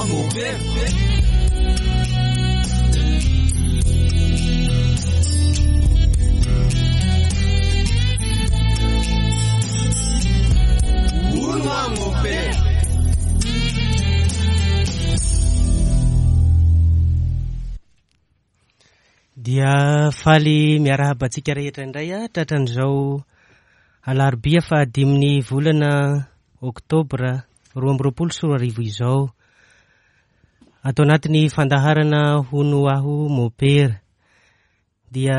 aho mopera. Hono aho mopera. Dia faly miarahaba antsika rehetra indray a tratran'izao alarobia fahadimin'ny volana oktobra 2022 izao. Ato anatin'ny fandaharana Hono Aho Mopera. Dia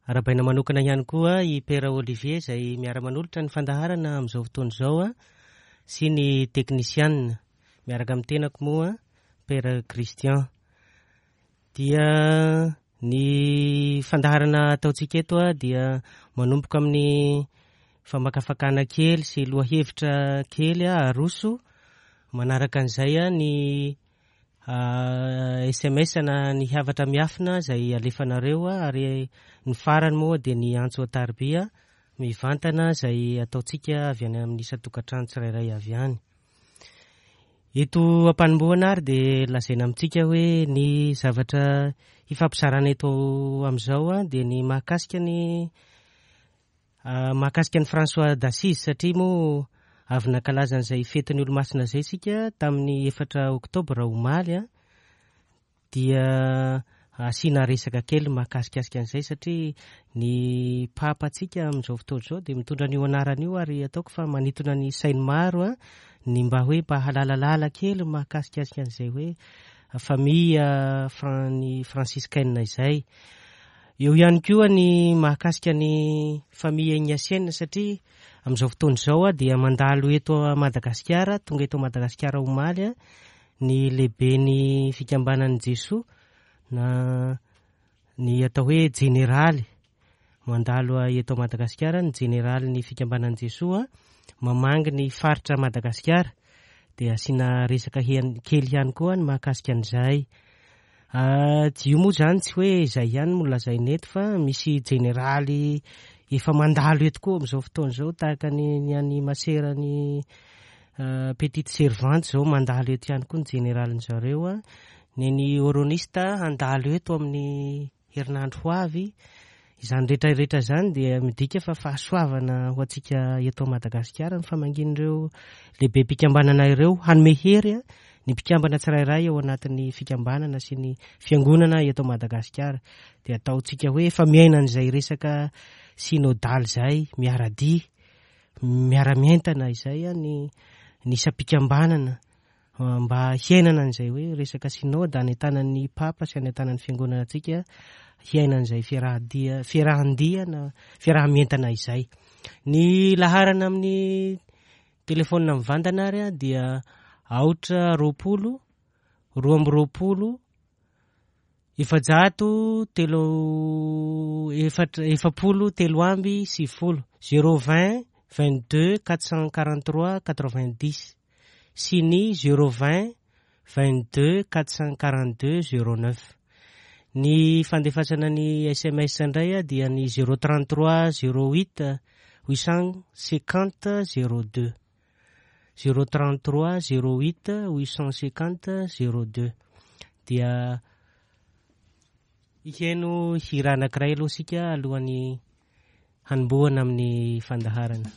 arahabaina manokana ihany koa i Père Olivier izay miara-manolotra ny fandaharana amin'izao fotoana izao sy ny teknisianina miaraka amin'ny tenako moa Père Christian. Dia ny fandaharana ataontsika eto dia manomboka amin'ny famakafakana kely sy lohahevitra kely aroso. Manaraka an'izay ny SMS na ny hafatra miafina izay alefanareo ary ny farany moa dia ny antso an-tarobia mivantana izay ataontsika avy any amin'ny isan-tokantrano tsirairay avy any. Eto am-panombohana ary dia lazaina amintsika hoe ny zavatra hifampizarana eto amin'izao dia ny mahakasika ny mahakasika an'i François d'Assise, satria moa avy nankalaza an'izay fetin'ny Olomasina izay isika tamin'ny 4 oktobra omaly, dia asiana resaka kely mahakasikasika an'izay, satria ny Papa antsika amin'izao fotoana izao dia mitondra an'io anarana io, ary ataoko fa manintona ny sain'ny maro ny mba hoe mba halalalala kely mahakasikasika an'izay hoe famille ny franciscaine izay. Eo ihany koa ny mahakasika ny famille ignatienne, satria amin'izao fotoana izao dia mandalo eto Madagasikara, tonga eto Madagasikara omaly ny lehiben'ny fikambanan'i Jesoa na ny atao hoe jeneraly. Mandalo eto Madagasikara ny jeneralin'ny fikambanan'i Jesoa, mamangy ny faritra Madagasikara, dia asiana resaka kely ihany koa ny mahakasika an'izay. Io moa izany tsy hoe izay ihany no lazaina eto, fa misy jeneraly efa mandalo eto koa amin'izao fotoana izao, tahaka ny an'i Masera ny Petite Servante izao mandalo eto ihany koa ny jeneralin'ny zareo. Ny an'i Oronista handalo eto amin'ny herinandro ho avy. Izany rehetra rehetra izany dia midika fa fahasoavana ho antsika eto Madagasikara ny famangian'ireo lehibem-pikambanana ireo, hanome hery ny mpikambana tsirairay ao anatin'ny fikambanana sy ny fiangonana eto Madagasikara. Dia ataontsika hoe efa miaina an'izay resaka synodaly izay, miara-dia, miara-mientana izay ny isam-pikambanana mba hiainana an'izay hoe resaka synoda any an-tanan'ny Papa sy any an-tanan'ny fiangonana antsika, hiaina an'izay fiaraha-dia, fiarahan-dia na fiaraha-mientana izay. Ny laharana amin'ny telefaonina mivantana ary dia aotra roapolo, roa amby roapolo, efajato telo efatra, efapolo telo amby sivifolo, zéro vingt, vingt deux, quatre cent quarante trois, quatre vingt dix sy ny zéro vingt, vingt deux, quatre cent quarante deux, zéro neuf. Ny fandefasana ny SMS indray dia ny zéro trente trois, zéro huit, huit cent cinquante, zéro deux. Zéro trente trois, zéro huit, huit cent cinquante, zéro deux. Dia hihaino hira anankiray aloha isika alohan'ny hanombohana amin'ny fandaharana.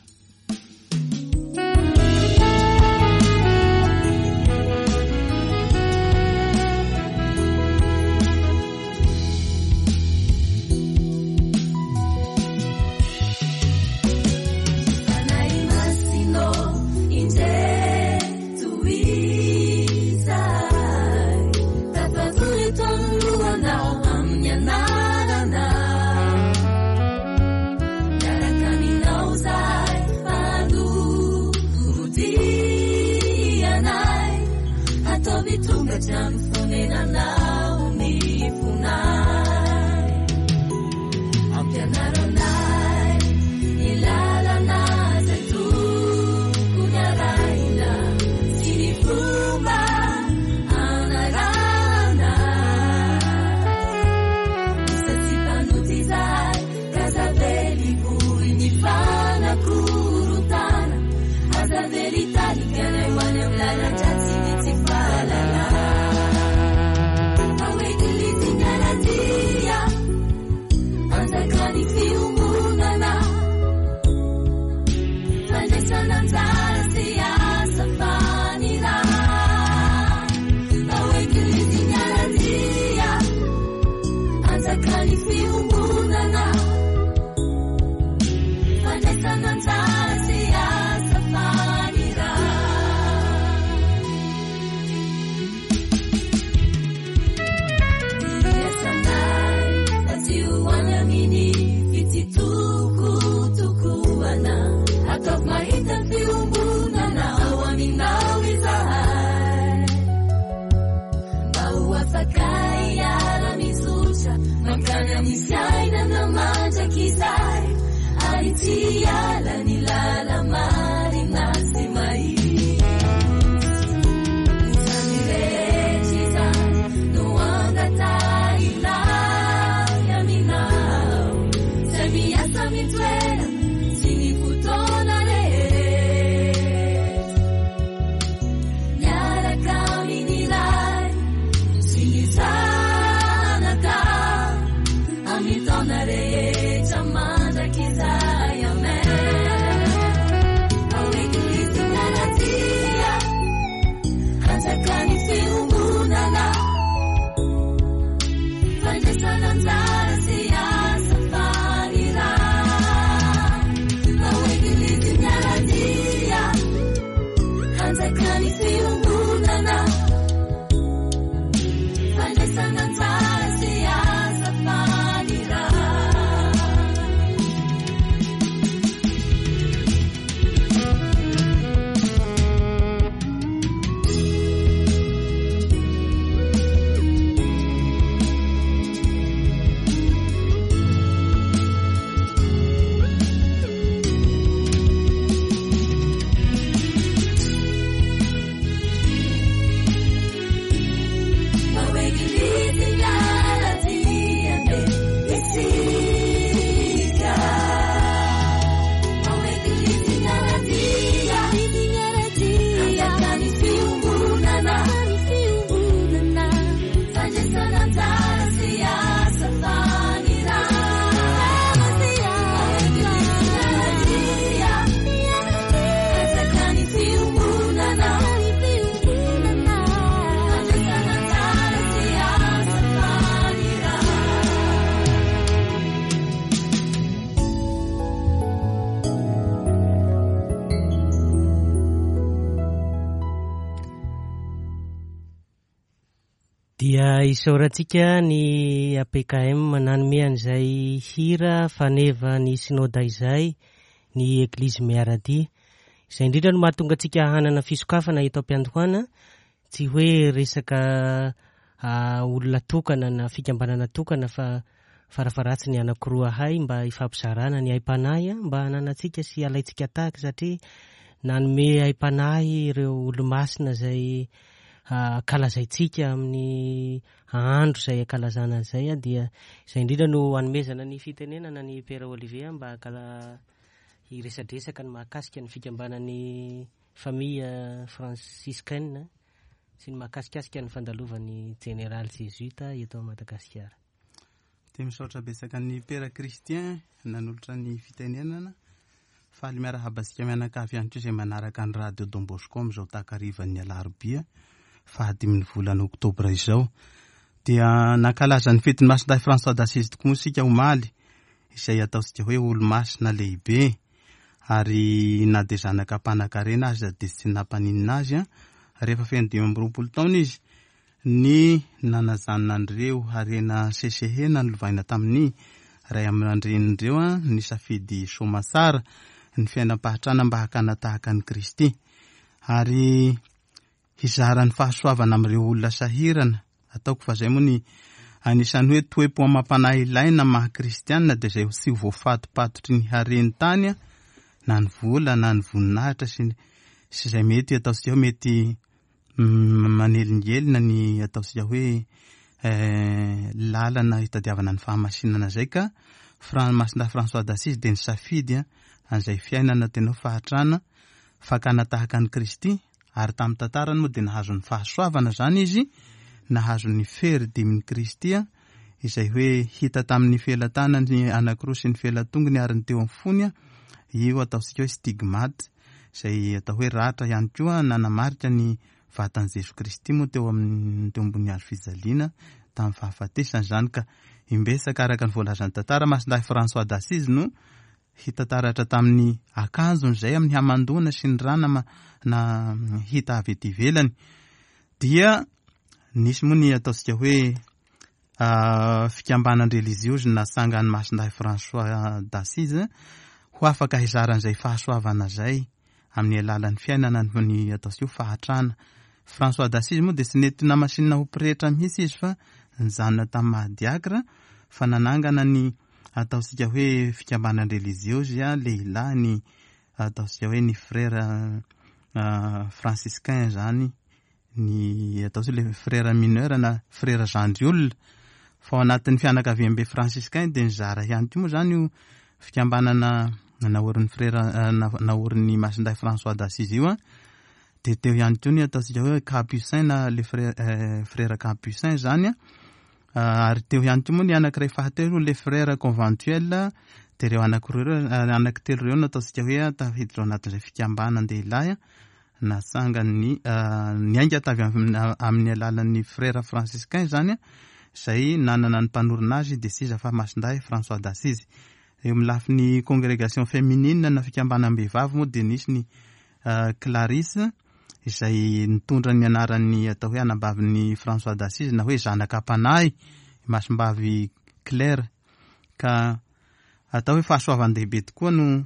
Anjakan'ny fiombonana, fandraisana anjara sy asa fanirahana. Mba ho eglizy miara-dia be isika. Mba ho eglizy miara-dia, anjakan'ny fiombonana, fandraisana anjara sy asa fanirahana. Mba ho eglizy miara-dia, anjakan'ny fiombonana, fandraisana anjara sy asa fanirahana. Dia isaorantsika ny APKM nanome an'izay hira faneva ny Synoda izay ny Eglizy Miaradia. Izay indrindra no mahatonga antsika hanana fisokafana eto am-piandohana, tsy hoe resaka olona tokana na fikambanana tokana fa farafaharatsy ny anankiroa hay mba hifampizarana ny aim-panahy mba hananantsika sy alaintsika tahaka satria nanome aim-panahy ireo olomasina izay ankalazaintsika amin'ny andro izay ankalazana an'izay dia izay indrindra no hanomezana ny fitenenana ny Père Olivier mba hiresadresaka ny mahakasika ny fikambanan'ny famille franciscaine sy ny mahakasikasika ny fandalovan'ny jeneraly Jésuite eto Madagasikara. Dia misaotra betsaka ny Père Christian nanolotra ny fitenenana. Faly miarahaba antsika mianakavy ihany koa izay manaraka ny Radio Don Bosco amin'izao takarivan'ny alarobia fahadimin'ny volana oktobra izao. Dia nankalaza ny fetin'ny Masindahy François d'Assise tokoa moa isika omaly, izay ataontsika hoe olomasina lehibe, ary na dia zanaka mpanankarena aza dia tsy nampaninona azy, rehefa feno 25 taona izy ny nanajanona an'ireo harena sesehena nolovaina tamin'ny ray aman-drenin'ireo nisafidy soamatsara ny fiainam-pahatrana mba hakana tahaka an'i Kristy ary hizara ny fahasoavana amin'ireo olona sahirana. Ataoko fa izay moa ny anisan'ny hoe toe-po amam-panahy ilaina maha kristianina dia izay tsy ho voafatopatotry ny hareny tany na ny vola na ny voninahitra sy izay mety ataontsika hoe mety manelingelina ny ataontsika hoe lalana hitadiavana ny fahamasinana izay ka Masindahy François d'Assise dia nisafidy an'izay fiainana tena hoe fahatrana fakana tahaka an'i Kristy ary tamin'ny tantarany moa dia nahazo ny fahasoavana izany izy, nahazo ny fery dimin'i Kristy izay hoe hita tamin'ny felatanany anankiroa sy ny felatongony ary ny teo amin'ny fony, io ataontsika hoe stigmate izay atao hoe ratra ihany koa nanamarika ny vatan'i Jesoa Kristy moa teo amin'ny teo ambony hazo fijaliana tamin'ny fahafatesany izany ka imbetsaka araka ny voalazan'ny tantara Masindahy François d'Assise no hita taratra tamin'ny akanjony izay amin'ny hamandoana sy ny rana na hita avy ety ivelany dia nisy moa ny ataontsika hoe fikambanan-drelijiozy natsangan'i Masindahy François d'Assise ho afaka hizara an'izay fahasoavana izay amin'ny alalan'ny fiainana ny ataontsika hoe fahatrana. François d'Assise moa dia tsy nety namasinina ho pretra mihitsy izy fa nijanona tamin'ny maha diakra fa nanangana ny ataontsika hoe fikambanan-drelijiozy lehilahy ny ataontsika hoe ny frère franciscain izany ny atao hoe le frère mineur na frère zandry olona fa ao anatin'ny fianakaviambe franciscain dia nizara ihany koa moa izany io fikambanana naorin'ny frère naorin'ny Masindahy François d'Assise io dia teo ihany koa ny ataontsika hoe capucin na le frère capucin izany ary teo ihany koa moa ny anankiray fahatelo le frère conventuel dia ireo anankiroa ireo anankitelo ireo no ataontsika hoe tafiditra ao anatin'izay fikambanan-dehilahy natsangan'ny niainga tavy amin'ny alalan'ny frère franciscain izany izay nanana ny mpanorina azy dia tsy iza fa Masindahy François d'Assise. Eo amin'ny lafiny congrégation féminine na fikambanam-behivavy moa dia nisy ny Clarisse izay nitondra ny anaran'ny atao hoe anabavin'i François d'Assise na hoe zanaka am-panahy Masimbavy Claire. Ka atao hoe fahasoavan-dehibe tokoa no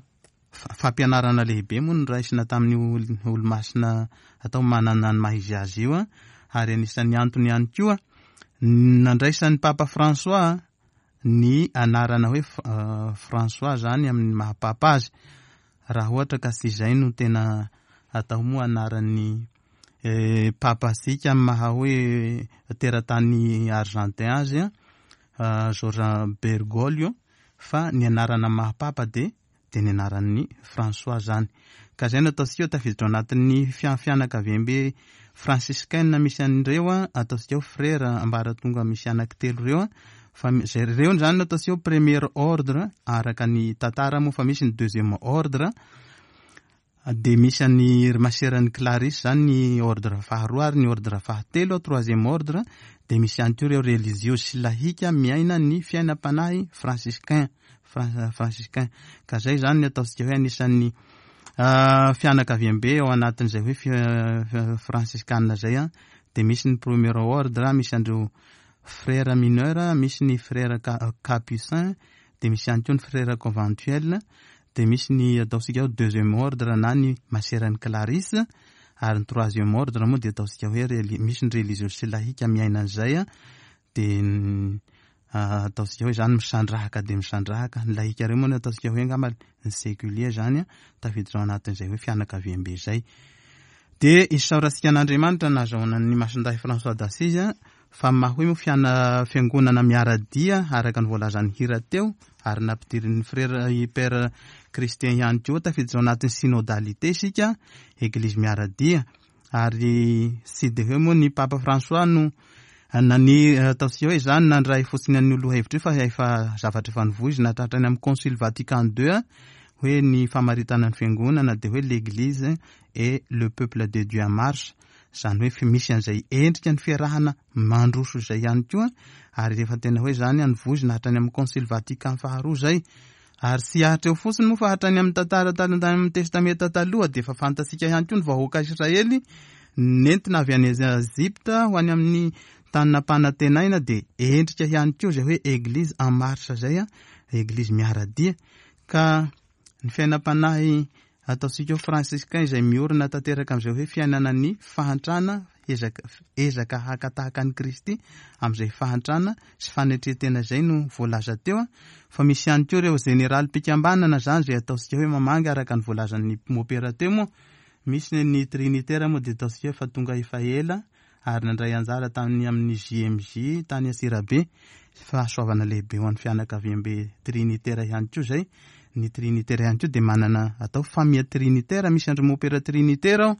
fampianarana lehibe moa no raisina tamin'io olomasina atao manana ny maha izy azy io, ary anisan'ny antony ihany koa nandraisan'ny Papa François ny anarana hoe François zany amin'ny maha papa azy, raha ohatra ka tsy izay no tena atao moa anaran'ny papa antsika amin'ny maha hoe teratany argentin azy, Jorge Bergoglio, fa ny anarana maha papa dia dia ny anaran'ny François zany. Ka zay no ataontsika hoe tafiditra ao anatin'ny fianakaviambe franciscaine misy an'ireo, ataontsika hoe frère ambaratonga misy anankitelo ireo, fa zay ireo zany no ataontsika hoe premier ordre araka ny tantara moa, fa misy ny deuxième ordre, dia misy an'ny ry maseran'ny Clarisse zany ny ordre faharoa, ary ny ordre fahatelo, troisième ordre, dia misy ihany koa ireo religieux sy lahika miaina ny fiainam-panahy franciscain, franciscain. Ka zay zany ny ataontsika hoe anisan'ny fianakaviambe ao anatin'izay hoe franciscane zay, dia misy ny premier ordre, misy an'ireo frère mineur, misy ny frère capucin, dia misy ihany koa ny frère conventuel, dia misy ny ataontsika hoe deuxième ordre na ny maseran'ny Clarisse, ary ny troisième ordre moa dia ataontsika hoe misy ny religieux sy lahika miaina an'izay, dia ataontsika hoe zany misandrahaka dia misandrahaka. Ny lahika ireo moa no ataontsika hoe angamba ny séculier zany, tafiditra ao anatin'izay hoe fianakaviambe izay. Dia isaorantsika an'Andriamanitra nahazoana ny Masindahy François d'Assise, fa maha hoe moa fiangonana miara-dia araka ny voalazan'ny hira teo, ary nampidirin'ny frère i Père Christian ihany koa, tafiditra ao anatin'ny synodalité isika, église miara-dia. Ary tsy dia hoe moa ny Papa François no nani-, ataontsika hoe zany nandray fotsiny an'io lohahevitra io, fa efa zavatra efa nivoizina hatratrany amin'ny Concile Vatican deux, hoe ny famaritana ny fiangonana dia hoe l'église et le peuple de Dieu en marche, zany hoe misy an'izay endrika ny fiarahana mandroso izay ihany koa, ary efa tena hoe zany nivoizina hatrany amin'ny Concile Vatican faharoa zay. Ary tsy hatreo fotsiny moa fa hatrany amin'ny tantara tany amin'ny Testamenta taloha dia efa fantatsika ihany koa ny vahoaka Israely nentina avy any Egypta ho any amin'ny tany nampanantenaina, dia endrika ihany koa izay hoe église en marche zay, église miara-dia. Ka ny fiainam-panahy ataontsika hoe franciscain izay miorina tanteraka amin'izay hoe fiainana ny fahantrana, ezaka haka tahaka an'i Kristy amin'izay fahantrana sy fanetren-tena izay no voalaza teo, fa misy ihany koa ireo jeneraly mpikambanana zany izay ataontsika hoe mamangy araka ny voalazan'ny mopera teo moa. Misy ny trinitaire moa dia ataontsika hoe fa tonga efa ela ary nandray anjara tamin'ny amin'ny JMJ tany Antsirabe. Fahasoavana lehibe ho an'ny fianakaviambe trinitaire ihany koa izay. Ny trinitaire ihany koa dia manana atao famille trinitaire, misy andry mopera trinitaire ao,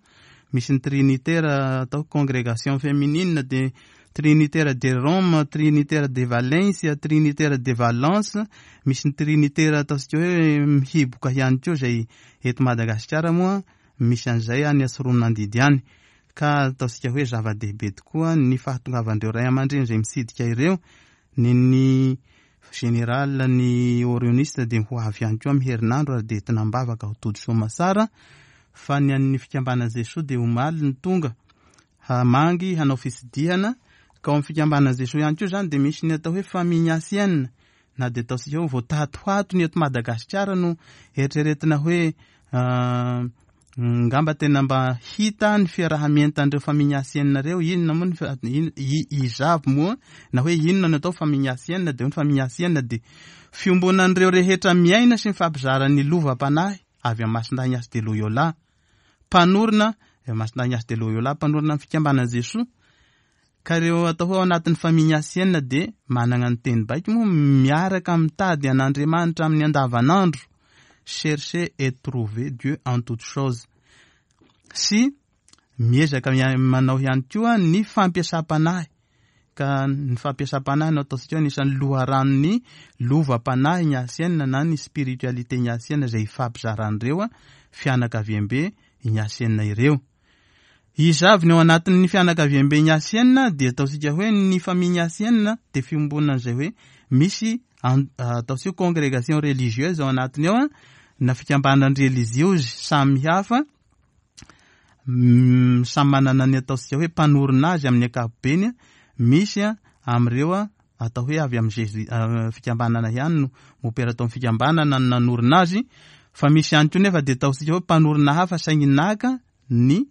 misy ny trinitaire atao congrégation féminine, dia trinitaire de Rome, trinitaire de Valencia, trinitaire de Valence, misy ny trinitaire ataontsika hoe mihiboka ihany koa izay eto Madagasikara moa misy an'izay any Antsiranandidy any. Ka ataontsika hoe zava-dehibe tokoa ny fahatongavan'ireo ray aman-dreny izay mitsidika ireo. Ny ny général ny orioniste dia ho avy ihany koa amin'ny herinandro ary dia entina am-bavaka ho tody soamasara, fa ny an'ny fikambanan'i Jesoa dia omaly ny tonga hamangy hanao fitsidihana. Ka ao amin'ny fikambanan'i Jesoa ihany koa izany dia misy ny atao hoe famille ignatienne, na dia ataontsika hoe vao tatohato ny eto Madagasikara no eritreretina hoe ngamba tena mba hita ny fiaraha-mientan'ireo famille ignatienne ireo. Inona moa ny iza avy moa na hoe inona no atao famille ignatienne? Dia hoe ny famille ignatienne dia fiombonan'ireo rehetra miaina sy mifampizara ny lovam-panahy avy amin'ny Masindahy Ignace de Loyola, mpanorina, Masindahy Ignace de Loyola mpanorina ny fikambanan'i Jesoa. Ka ireo atao hoe ao anatin'ny famille ignatienne dia manana ny teny baiko moa miaraka mitady an'Andriamanitra amin'ny andavanandro, chercher et trouver Dieu en toutes choses, sy miezaka manao ihany koa ny fampiasam-panahy. Ka ny fampiasam-panahy no ataontsika hoe anisan'ny loharanon'ny lovam-panahy ignatienne na ny spiritualité ignatienne izay ifampizaran'ireo fianakaviambe ignatienne ireo. Iza avy ny ao anatin'ny fianakaviambe ignatienne? Dia ataontsika hoe ny famille ignatienne dia fiombonan'izay hoe misy ataontsika hoe congrégation religieuse ao anatiny ao, na fikambanan-drelijiozy samihafa. Samy manana ny ataontsika hoe mpanorina azy amin'ny ankapobeny. Misy amin'ireo atao hoe avy amin'ny Jésus fikambanana ihany no mopera tao amin'ny fikambanana no nanorina azy, fa misy ihany koa nefa dia ataontsika hoe mpanorina hafa saingy naka ny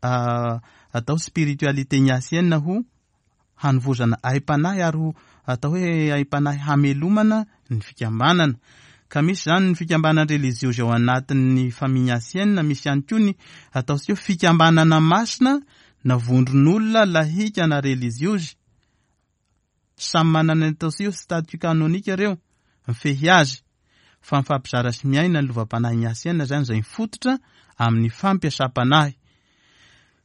atao spiritualité ignatienne ho hanovozana aim-panahy ary ho atao hoe aim-panahy hamelomana ny fikambanana. Ka misy izany ny fikambanana relijiozy ao anatin'ny famille ignatienne, misy ihany koa ny ataontsika hoe fikambanana masina na vondron'olona lahika na relijiozy. Samy manana ny ataontsika hoe statut canonique ireo, mifehy azy. Fa mifampizara sy miaina ny lovam-panahy ignatienne izany izay mifototra amin'ny fampiasam-panahy.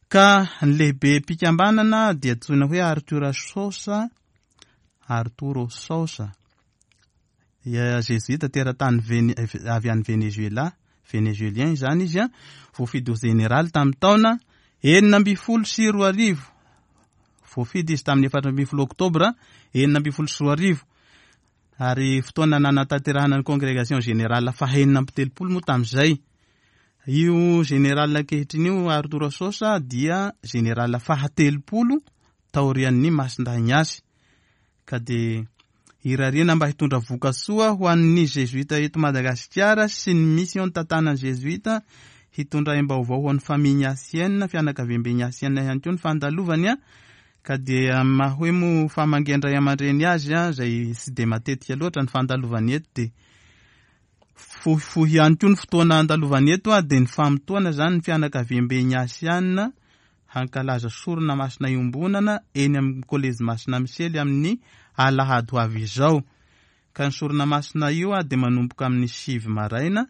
Ka ny lehibem-pikambanana dia antsoina hoe Arthur Sosa, Arturo Sosa. Zezoita teratany Vene, avy any Venezuela, Venezuelien izany izy, voafidy ho jeneraly tamin'ny taona 2016. Voafidy izy tamin'ny 14 oktobra 2016. Ary fotoana nanatanterahana ny Congrégation Générale faha-36 moa tamin'izay. Io général ankehitriny io, Arturo Sosa, dia général faha-30 taorian'ny Masindahy Ignace. Ka dia irariana mba hitondra voka-tsoa ho an'ny Zezoita eto Madagasikara sy ny mission tantanan'ny Zezoita, hitondra aim-baovao ho an'ny famille ignatienne, fianakaviambe ignatienne ihany koa ny fandalovany. Ka dia amin'ny maha hoe moa famangian-dray aman-dreny azy, izay tsy dia matetika loatra ny fandalovany eto, dia fohifohy ihany koa ny fotoana andalovany eto, dia ny famotoana izany ny fianakaviambe Ignasiana hankalaza sorona masina iombonana eny amin'ny Kolejy Masina Misely amin'ny alahady ho avy izao. Ka ny sorona masina io dia manomboka amin'ny 9 maraina,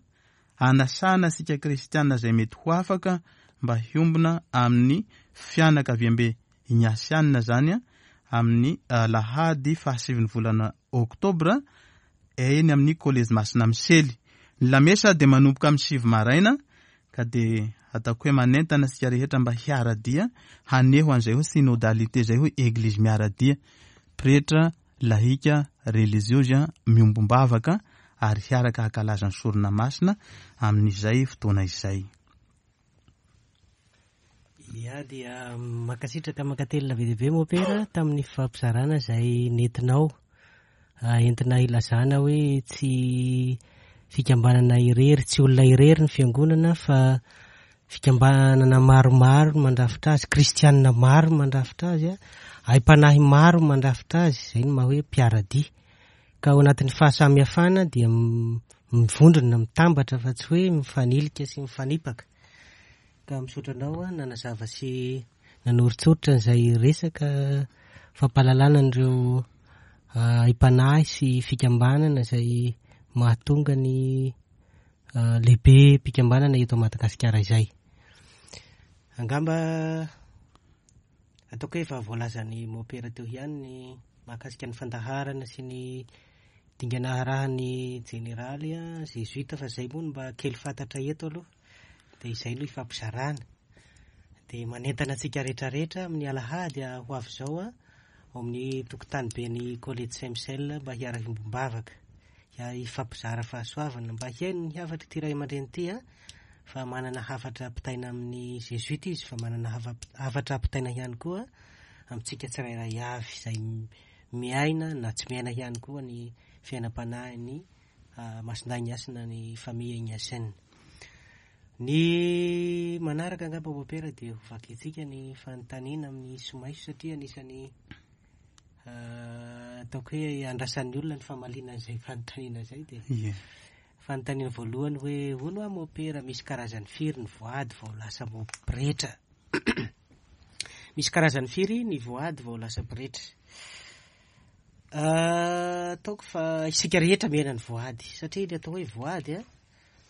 anasana antsika kristiana izay mety ho afaka mba hiombona amin'ny fianakaviambe Ignasiana izany amin'ny alahady fahasivin'ny volana oktobra eny amin'ny Kolejy Masina Misely. Ny lamesa dia manomboka amin'ny 9 maraina ka dia ataoko hoe manentana antsika rehetra mba hiara-dia haneho an'izay hoe synodalité izay hoe Eglizy miara-dia, pretra, lahika, relijiozy miombom-bavaka ary hiaraka hankalaza ny sorona masina amin'izay fotoana izay. Ya dia mankasitraka mankatelina be dia be Mopera tamin'ny fifampizarana izay nentinao entina hilazana hoe tsy fikambanana irery, tsy olona irery ny fiangonana fa Fikambanana maromaro no mandrafitra azy, kristianina maro no mandrafitra azy, aim-panahy maro no mandrafitra azy, izay no maha hoe mpiara-dia. Ka ao anatin'ny fahasamihafana dia mivondrona, mitambatra fa tsy hoe mifanilika sy mifanipaka. Ka misaotra anao aho nanazava sy nanoritsoritra an'izay resaka fampahalalana an'ireo aim-panahy sy fikambanana izay mahatonga ny lehibe mpikambanana eto Madagasikara izay. Angamba ataoko hoe efa voalazan'i Mopera teo ihany ny mahakasika ny fandaharana sy ny dingana arahan'ny jeneraly zezoita fa izay moa no mba kely fantatra eto aloha dia izay no ifampizarana. Dia manentana antsika rehetrarehetra amin'ny alahady ho avy izao ao amin'ny tokotany ben'ny Kolejy Saint Michel mba hiara-hiombom-bavaka. hifampizara fahasoavana mba hihaino ny hafatr'ity ray aman-dreny ity a, fa manana hafatra ampitaina amin'ny Zezoita izy fa manana hafatra ampitaina ihany koa amintsika tsirairay avy izay miaina na tsy miaina ihany koa ny fiainam-panahin'ny Masindahy Ignace na ny famille Ignatienne. Ny manaraka angamba Mopera dia ho vakintsika ny fanontaniana amin'ny somaiso satria anisan'ny Ataoko hoe andrasan'ny olona ny famaliana an'izay fanontaniana izay dia Ie. fanontaniana voalohany hoe hono hoa mopera misy karazany firy ny voady vao lasa pretra? Misy karazany firy ny voady vao lasa pretra? Ataoko fa isika rehetra miaina ny voady satria ny atao hoe voady a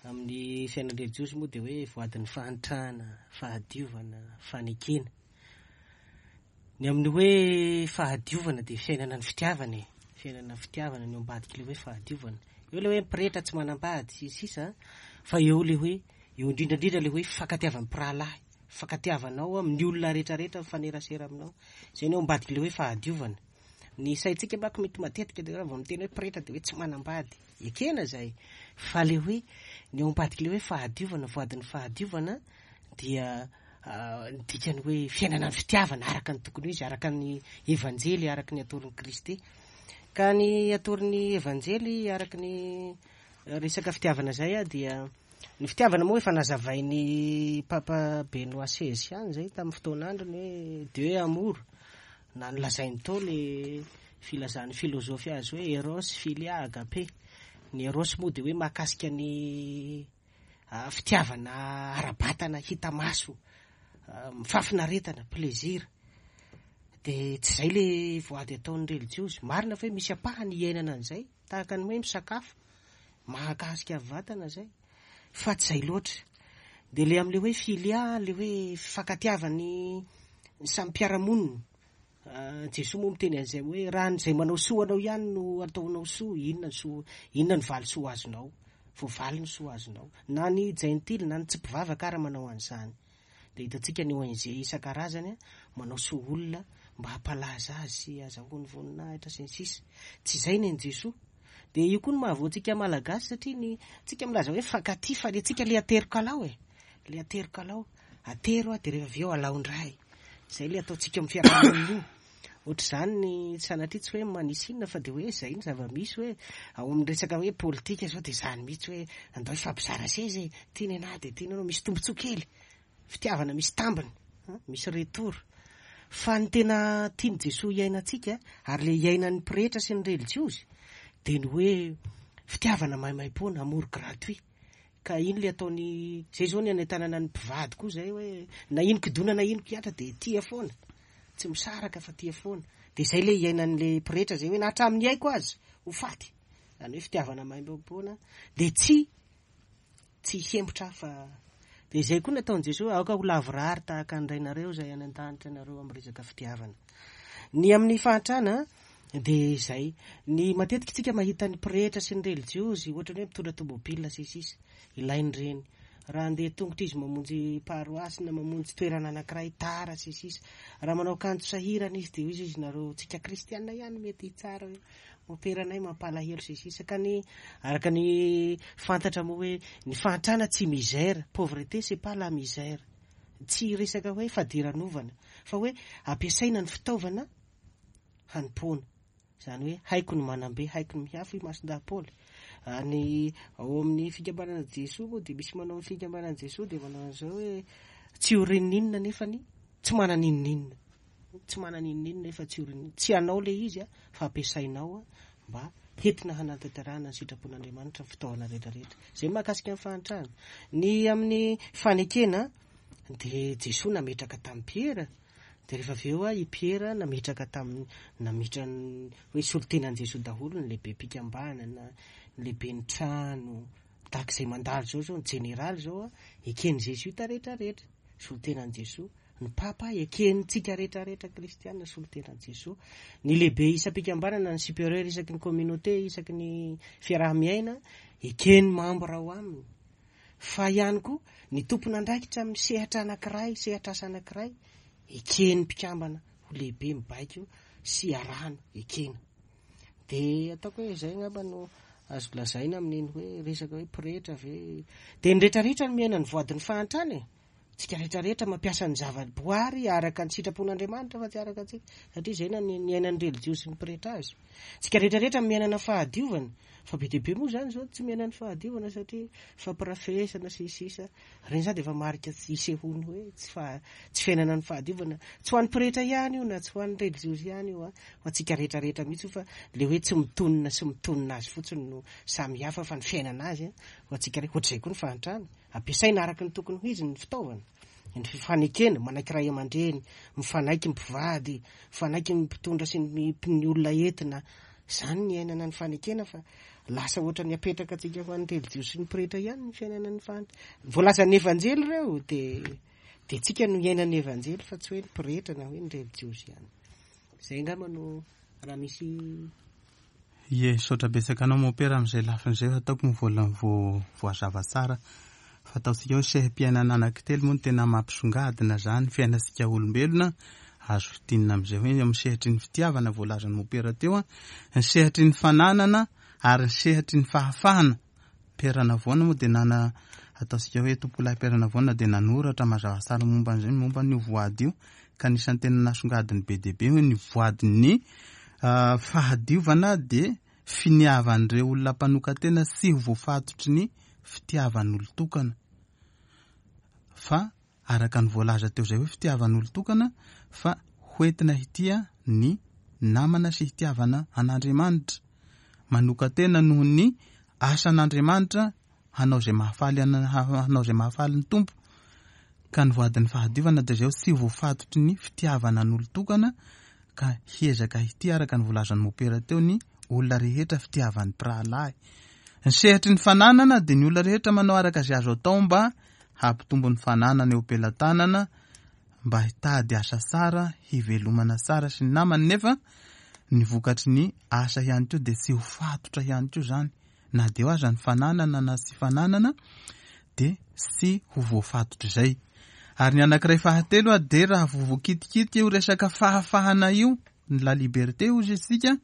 amin'ny fiainan-drelijiozy moa dia hoe voadin'ny fahantrana, fahadiovana, fanekena. Ny amin'ny hoe fahadiovana dia fiainana ny fitiavana e, fiainana ny fitiavana ny ao ambadik'ilay hoe fahadiovana. Eo ilay hoe pretra tsy manambady sy ny sisa fa eo ilay hoe, eo indrindra indrindra ilay hoe fifankatiavan'ny mpirahalahy, fifankatiavanao amin'ny olona rehetra rehetra mifanerasera aminao. Izay ny ao ambadik'ilay hoe fahadiovana. Ny saintsika manko mety matetika dia raha vao miteny hoe pretra dia hoe tsy manambady. Ekena izay fa ilay hoe ny ao ambadik'ilay hoe fahadiovana, voadin'ny fahadiovana dia. Ny dikany hoe fiainana ny fitiavana araka ny tokony ho izy, araka ny Evanjely, araka ny atoron'i Kristy. Ka ny atoron'ny Evanjely araka ny resaka fitiavana izay dia ny fitiavana moa efa nazavain'i Papa Benoît seize ihany izay tamin'ny fotoan'androny hoe Dieu est amour, na nolazainy tao le filazan'ny filozofy azy hoe eros, philia, agape. Ny eros moa dia hoe mahakasika ny fitiavana ara-batana hita maso, fahafinaretana, plaisir. Dia tsy izay le voady ataon'ny relijiozy. Marina fa hoe misy ampahany iainana an'izay, tahaka ny hoe misakafo, mahakasika vatana izay, fa tsy izay loatra. Dia le amin'le hoe filia, le hoe fifankatiavan'ny samy mpiara-monina, Jesoa moa miteny an'izay hoe raha ny izay manao soa anao ihany no ataonao soa, inona ny soa, inona ny valisoa azonao? Voavaly ny soa azonao. Na ny jentily na ny tsy mpivavaka ara manao an'izany. Dia hitantsika ny ONG isan-karazany manao soa olona mba hampalaza azy sy hazahoany voninahitra sy ny sisa. Tsy izay ny an'i Jesoa. Dia io koa no mahavoa antsika Malagasy satria ny tsika milaza hoe mifankatia fa ny antsika le ateriko alao e. Le ateriko alao. Atero dia rehefa avy eo alao indray. Izay ilay ataontsika amin'ny fiarahamonina io. Ohatr'izany ny sanatria tsy hoe manisy inona fa dia hoe izay ny zava-misy hoe ao amin'ny resaka hoe politika izao dia izany mihitsy hoe andao hifampizara seza e, ity ny anah dia ity ny anao, misy tombontsoa kely, fitiavana misy tambiny, misy retour. Fa ny tena tian'i Jesoa hiainantsika ary ilay iainan'ny pretra sy ny relijiozy dia ny hoe fitiavana maimaimpoana, amour gratuit. Ka iny le ataony, zay zao ny anentanana ny mpivady koa zay hoe na ino kidona na ino kihatra de tia foana, tsy misaraka fa tia foana, de zay le iainan'le pretra zay hoe na hatramin'ny aiko aza ho faty, zany hoe fitiavana maimaimpoana de tsy tsy hihemotra aho fa de zay koa nataon'i Jesoa hoe aoka ho lavorary tahaka ny Rainareo izay any an-danitra ianareo amin'ny resaka fitiavana. Ny amin'ny fahantrana Dia izay. Ny matetika tsika mahita ny pretra sy ny relijiozy ohatrany hoe mitondra tomobile sy ny sisa. Ilainy ireny. Raha handeha tongotra izy mamonjy paroasy na mamonjy toerana anankiray tara sy ny sisa. Raha manao akanjo sahirana izy dia hoy izy nareo tsika kristiana ihany mety hitsara hoe moperanay mampalahelo sy ny sisa. Ka ny araka ny fantatra moa hoe ny fahantrana tsy misère, pauvreté c'est pas la misère. Tsy resaka hoe fadiranovana fa hoe ampiasaina ny fitaovana hanompoana. Izany hoe haiko ny manam-be, haiko ny mihafy hoy Masindahy Paoly. Ny ao amin'ny fikambanana Jesoa moa dia misy manao ny fikambanana Jesoa dia manao an'izao hoe tsy ho rininina nefa ny tsy manana inoninona. Tsy manana inoninona nefa tsy ho rininona. Tsy anao ilay izy fa ampiasainao mba hentina hanatanterahana ny sitrapon'Andriamanitra ny fitaovana rehetra rehetra. Izay mahakasika ny fahantrana. Ny amin'ny fanekena dia Jesoa nametraka tamin'i Piera Dia rehefa avy eo i Piera nametraka tamin'ny, nametra ny hoe solontenan'i Jesoa daholo ny lehibem-pikambanana, ny lehiben'ny trano, tahaka izay mandalo izao izao, ny jeneraly izao eken'i Zezoita rehetra rehetra, solontenan'i Jesoa, ny Papa ekentsika rehetra rehetra kristiana solontenan'i Jesoa, ny lehibe isam-pikambanana, ny supérieur isaky ny communauté, isaky ny fiaraha-miaina, eken'ny membre ao aminy. Fa ihany koa ny tompon'andraikitra amin'ny sehatra anankiray, sehatr'asa anankiray, eken'ny mpikambana ho lehibe mibaiko sy arahana, ekena. Dia ataoko hoe izay angamba no azo lazaina amin'iny hoe resaka hoe pretra ve. Dia ny rehetrarehetra no miaina ny voadin'ny fahantrana e! Tsika rehetrarehetra mampiasa ny zava-boary araka ny sitrapon'Andriamanitra fa tsy araka antsika, satria izay no niainan'ny relijiozy sy ny pretra azy. Tsika rehetrarehetra miaina ny fahadiovana, fa be dia be moa izany izao tsy miaina ny fahadiovana satria fampirafesana sy ny sisa, ireny izany dia efa marika tsy isehoany hoe tsy faha, tsy fiainana ny fahadiovana. Tsy ho an'ny pretra ihany io na tsy ho an'ny relijiozy ihany io an, ho antsika rehetrarehetra mihitsy io fa ilay hoe tsy mitonona sy mitonona azy fotsiny no samy hafa fa ny fiainana azy ho antsika rehetra, ohatr'izay koa ny fahantrana. Ampiasaina araka ny tokony ho izy ny fitaovana, ny fifanekena, manaiky ray aman-dreny, mifanaiky mpivady, mifanaiky ny mpitondra sy ny ny olona entina. Izany ny iainana ny fanekena fa lasa ohatran'ny apetraka antsika ho an'ny relijiozy sy ny pretra ihany ny fiainana ny fahantra. Voalazan'ny Evanjely ireo dia dia tsika no iainan'ny Evanjely fa tsy hoe ny pretra na hoe ny relijiozy ihany. Izay angamba no raha misy Ie, misaotra betsaka anao Mompera amin'izay lafiny izay fa ataoko moa vola voazava tsara fa ataontsika hoe seha-piainana anankitelo moa no tena mampisongadina izany fiainantsika olombelona, azo fintinina amin'izay hoe amin'ny sehatry ny fitiavana voalazan'i Mompera teo, ny sehatry ny fananana ary ny sehatry ny fahafahana. Père Navoana moa dia nana ataontsika hoe Tompokolahy Père Navona dia nanoratra mazava tsara momba an'izay momba an'io voady io ka anisan'ny tena nasongadiny be dia be hoe ny voadin'ny fahadiovana dia finiavan'ireo olona mpanokan-tena tsy ho voafatotry ny fitiavan'olon-tokana fa araka ny voalaza teo izay hoe fitiavan'olon-tokana fa hoentina hitia ny namana sy hitiavana an'Andriamanitra manokan-tena noho ny asan'Andriamanitra hanao izay mahafaly hanao izay mahafaly ny Tompo ka ny voadin'ny fahadiovana dia izay tsy voafatotry ny fitiavana an'olon-tokana ka hiezaka hitia araka ny voalazan'ny mopera teo ny olona rehetra fitiavan'ny mpirahalahy. Ny sehatry ny fananana dia ny olona rehetra manao araka izay azo atao mba hampitombo ny fananana eo am-pelatanana mba hitady asa tsara, hivelomana tsara sy ny namany nefa ny vokatry ny asa ihany koa dia tsy ho fatotra ihany koa izany na dia eo aza ny fananana na tsy fananana dia tsy ho voafatotr'izay. Ary ny anankiray fahatelo dia raha vao voakitikitika io resaka fahafahana io, ny la liberté hozy isika,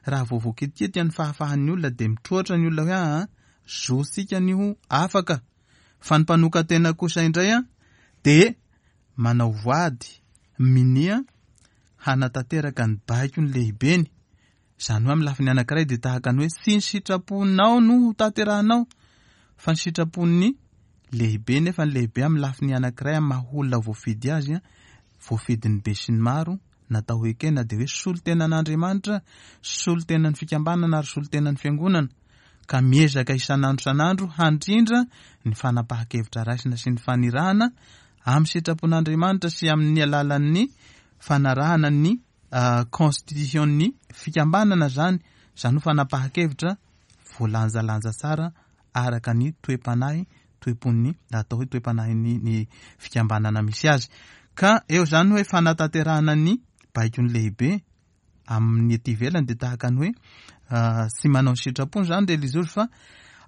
raha vao voakitikitika ny fahafahan'ny olona dia mitroatra ny olona hoe aa zontsika ny ho afaka. Fa ny mpanokan-tena kosa indray dia manao voady, minia hanatanteraka ny baiko ny lehibeny. Izany hoe amin'ny lafiny anankiray dia tahaka ny hoe tsy ny sitraponao no ho tanterahanao fa ny sitrapon'ny lehibe nefa ny lehibe amin'ny lafiny anankiray amin'ny maha olona voafidy azy, voafidin'ny besinimaro, natao ho ekena dia hoe solontenan'Andriamanitra, solontenan'ny fikambanana ary solontenan'ny fiangonana ka miezaka isan'andro isan'andro handrindra ny fanapahan-kevitra raisina sy ny fanirahana amin'ny sitrapon'Andriamanitra sy amin'ny alalan'ny fanarahana ny constitution-n'ny fikambanana zany, zany ho fanapahan-kevitra voalanjalanja tsara araka ny toe-panahy, toe-pon'ny, atao hoe toe-panahin'ny ny fikambanana misy azy. Ka eo zany hoe fanatanterahana ny baikon'ny lehibe amin'ny ety ivelany dia tahaka ny hoe tsy manao ny sitrapony zany reliziozy fa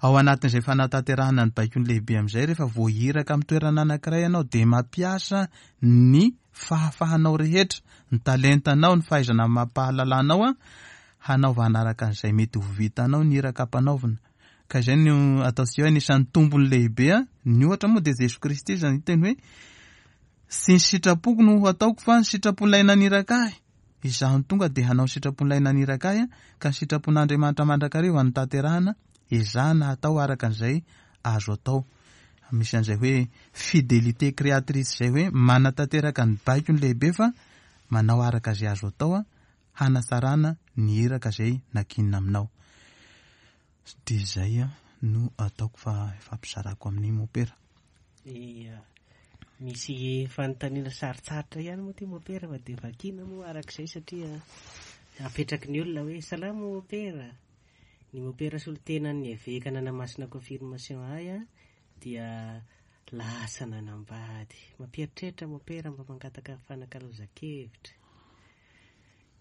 ao anatin'izay fanatanterahana ny baikon'ny lehibe amin'izay rehefa voahiraka amin'ny toerana anankiray ianao dia mampiasa ny fahafahanao rehetra, ny talentanao, ny fahaizana amam-pahalalanao an, hanaovana araka an'izay mety ho vitanao ny iraka ampanaovina. Ka izay no ataontsika hoe anisan'ny tombony lehibe an, ny ohatra moa dia Jesoa Kristy izany niteny hoe tsy ny sitrapoko no ho ataoko fa ny sitrapon'ilay naniraka ahy. Izaho no tonga dia hanao ny sitrapon'ilay naniraka ahy ka ny sitrapon'Andriamanitra mandrakariva no tanterahana, ezahana hatao araka an'izay azo atao. Misy an'izay hoe fidélité créatrice izay hoe manatanteraka ny baiko ny lehibe fa manao araka izay azo atao hanatsarana ny iraka izay nankinina aminao. Dia izay no ataoko fa ifampizarako amin'ny mopera. Ia. Misy fanontaniana sarotsarotra ihany moa ity mopera fa dia vakiana moa arak'izay satria apetraky ny olona hoe salama mopera. Ny mopera solontenan'ny eveka nanamasina confirmation ahy dia lasa nanambady. Mampieritreritra mopera mba mangataka fanakalozan-kevitra.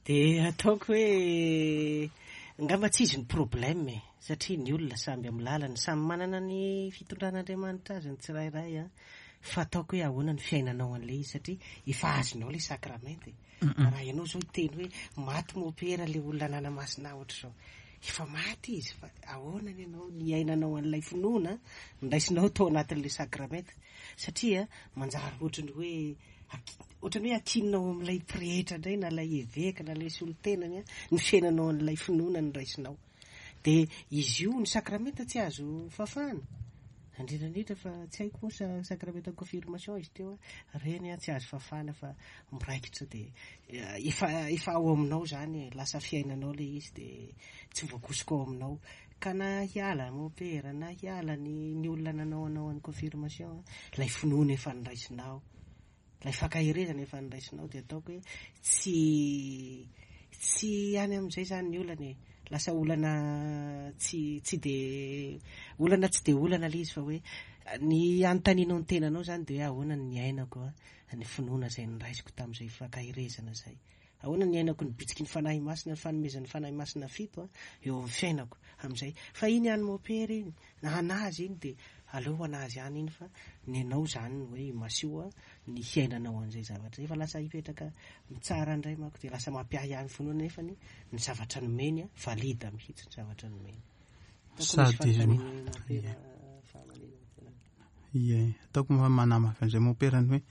Dia ataoko hoe angamba tsy izy ny problème e, satria ny olona samby amin'ny lalany, samy manana ny fitondran'Andriamanitra azy ny tsirairay an, fa ataoko hoe ahoana ny fiainanao an'ilay izy satria efa azonao ilay sakramenta e. Raha ianao izao hiteny hoe maty mopera ilay olona nanamasina ahy ohatr'izao, efa maty izy fa ahoana ny anao niainanao an'ilay finoana niraisinao tao anatin'ilay sakramenta satria manjary ohatran'ny hoe ohatran'ny hoe akinina ao amin'ilay pretra indray na ilay eveka na ilay solontenany ny fiainanao an'ilay finoana niraisinao. Dia izy io ny sakramenta tsy azo fafana, indrindra indrindra fa tsy haiko moa sa sakramenta confirmation izy teo, ireny tsy azo fafana fa miraikitra dia efa efa ao aminao izany e, lasa fiainanao ilay izy dia tsy voakosoka ao aminao. Ka na hiala mopera na hiala ny ny olona nanao anao an'ny confirmation, ilay finoana efa noraisinao, Ilay fankaherezana efa noraisinao dia ataoko hoe tsy tsy any amin'izay izany ny olana e. Lasa olana tsy tsy dia olana tsy dia olana ilay izy fa hoe ny anontanianao ny tenanao izany dia hoe ahoana ny niainako ny finoana izay noraisiko tamin'izay fankaherezana izay. Ahoana ny niainako ny bitsiky ny Fanahy Masina, ny fanomezan'ny Fanahy Masina fito eo amin'ny fiainako amin'izay. Fa iny an'i Mopera iny, na an'azy iny dia aleo ho an'azy ihany iny fa ny anao izany ny hoe imasio ny hiainanao an'izay zavatra izay. Fa lasa hipetraka mitsara indray manko dia lasa mampiahiahy ny finoana nefa ny ny zavatra nomeny valide mihitsy ny zavatra nomeny. Sady Ie, ataoko moa manamafy an'izay mompera ny hoe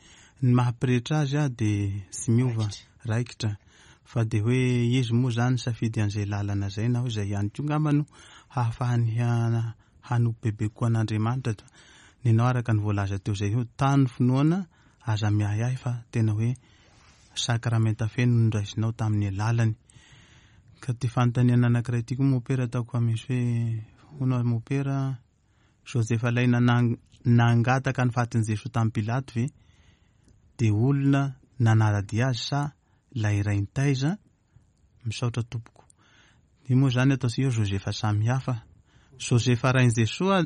ny maha pretra azy a dia tsy miova, raikitra. Fa dia hoe izy moa izany nisafidy an'izay lalana izay na hoe izay ihany koa angamba no hahafahany hanompo bebe kokoa an'Andriamanitra. Nenao araka ny voalaza teo izay hoe tano finoana, aza miahiahy fa tena hoe sakramenta feno no noraisinao tamin'ny alalany. Ka ity fanontaniana anankiray ity koa mompera ataoko fa misy hoe hono ary mompera Josefa ilay nangataka ny fatin'i Jesoa tamin'i Pilato ve dia olona nanara-dia azy sa ilay ray nitaiza? Misaotra tompoko. Io moa izany ataontsika hoe Josefa samihafa. Josefa rain'i Jesoa,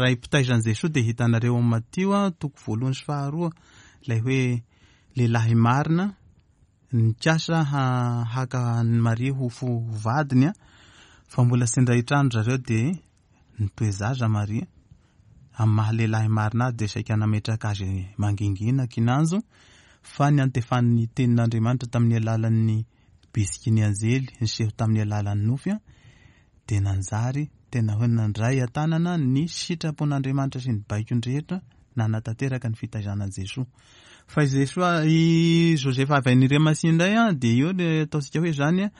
ray mpitaiza an'i Jesoa dia hitanareo ao amin'ny Matio toko voalohany sy faharoa ilay hoe lehilahy marina nikasa haka an'i Maria ho vadiny fa mbola tsy indray trano zareo dia Nitoe-zaza Maria. Amin'ny maha lehilahy marina azy dia saika nametraka azy mangingina kinanjo fa niantefan'ny tenin'Andriamanitra tamin'ny alalan'ny bisiky ny anjely niseho tamin'ny alalan'ny nofy dia nanjary tena hoe nandray an-tanana ny sitrapon'Andriamanitra sy ny baikony rehetra nanatanteraka ny fitaizana an'i Jesoa. Fa i Jesoa, i Josefa avy any Remasia indray dia eo le ataontsika hoe izany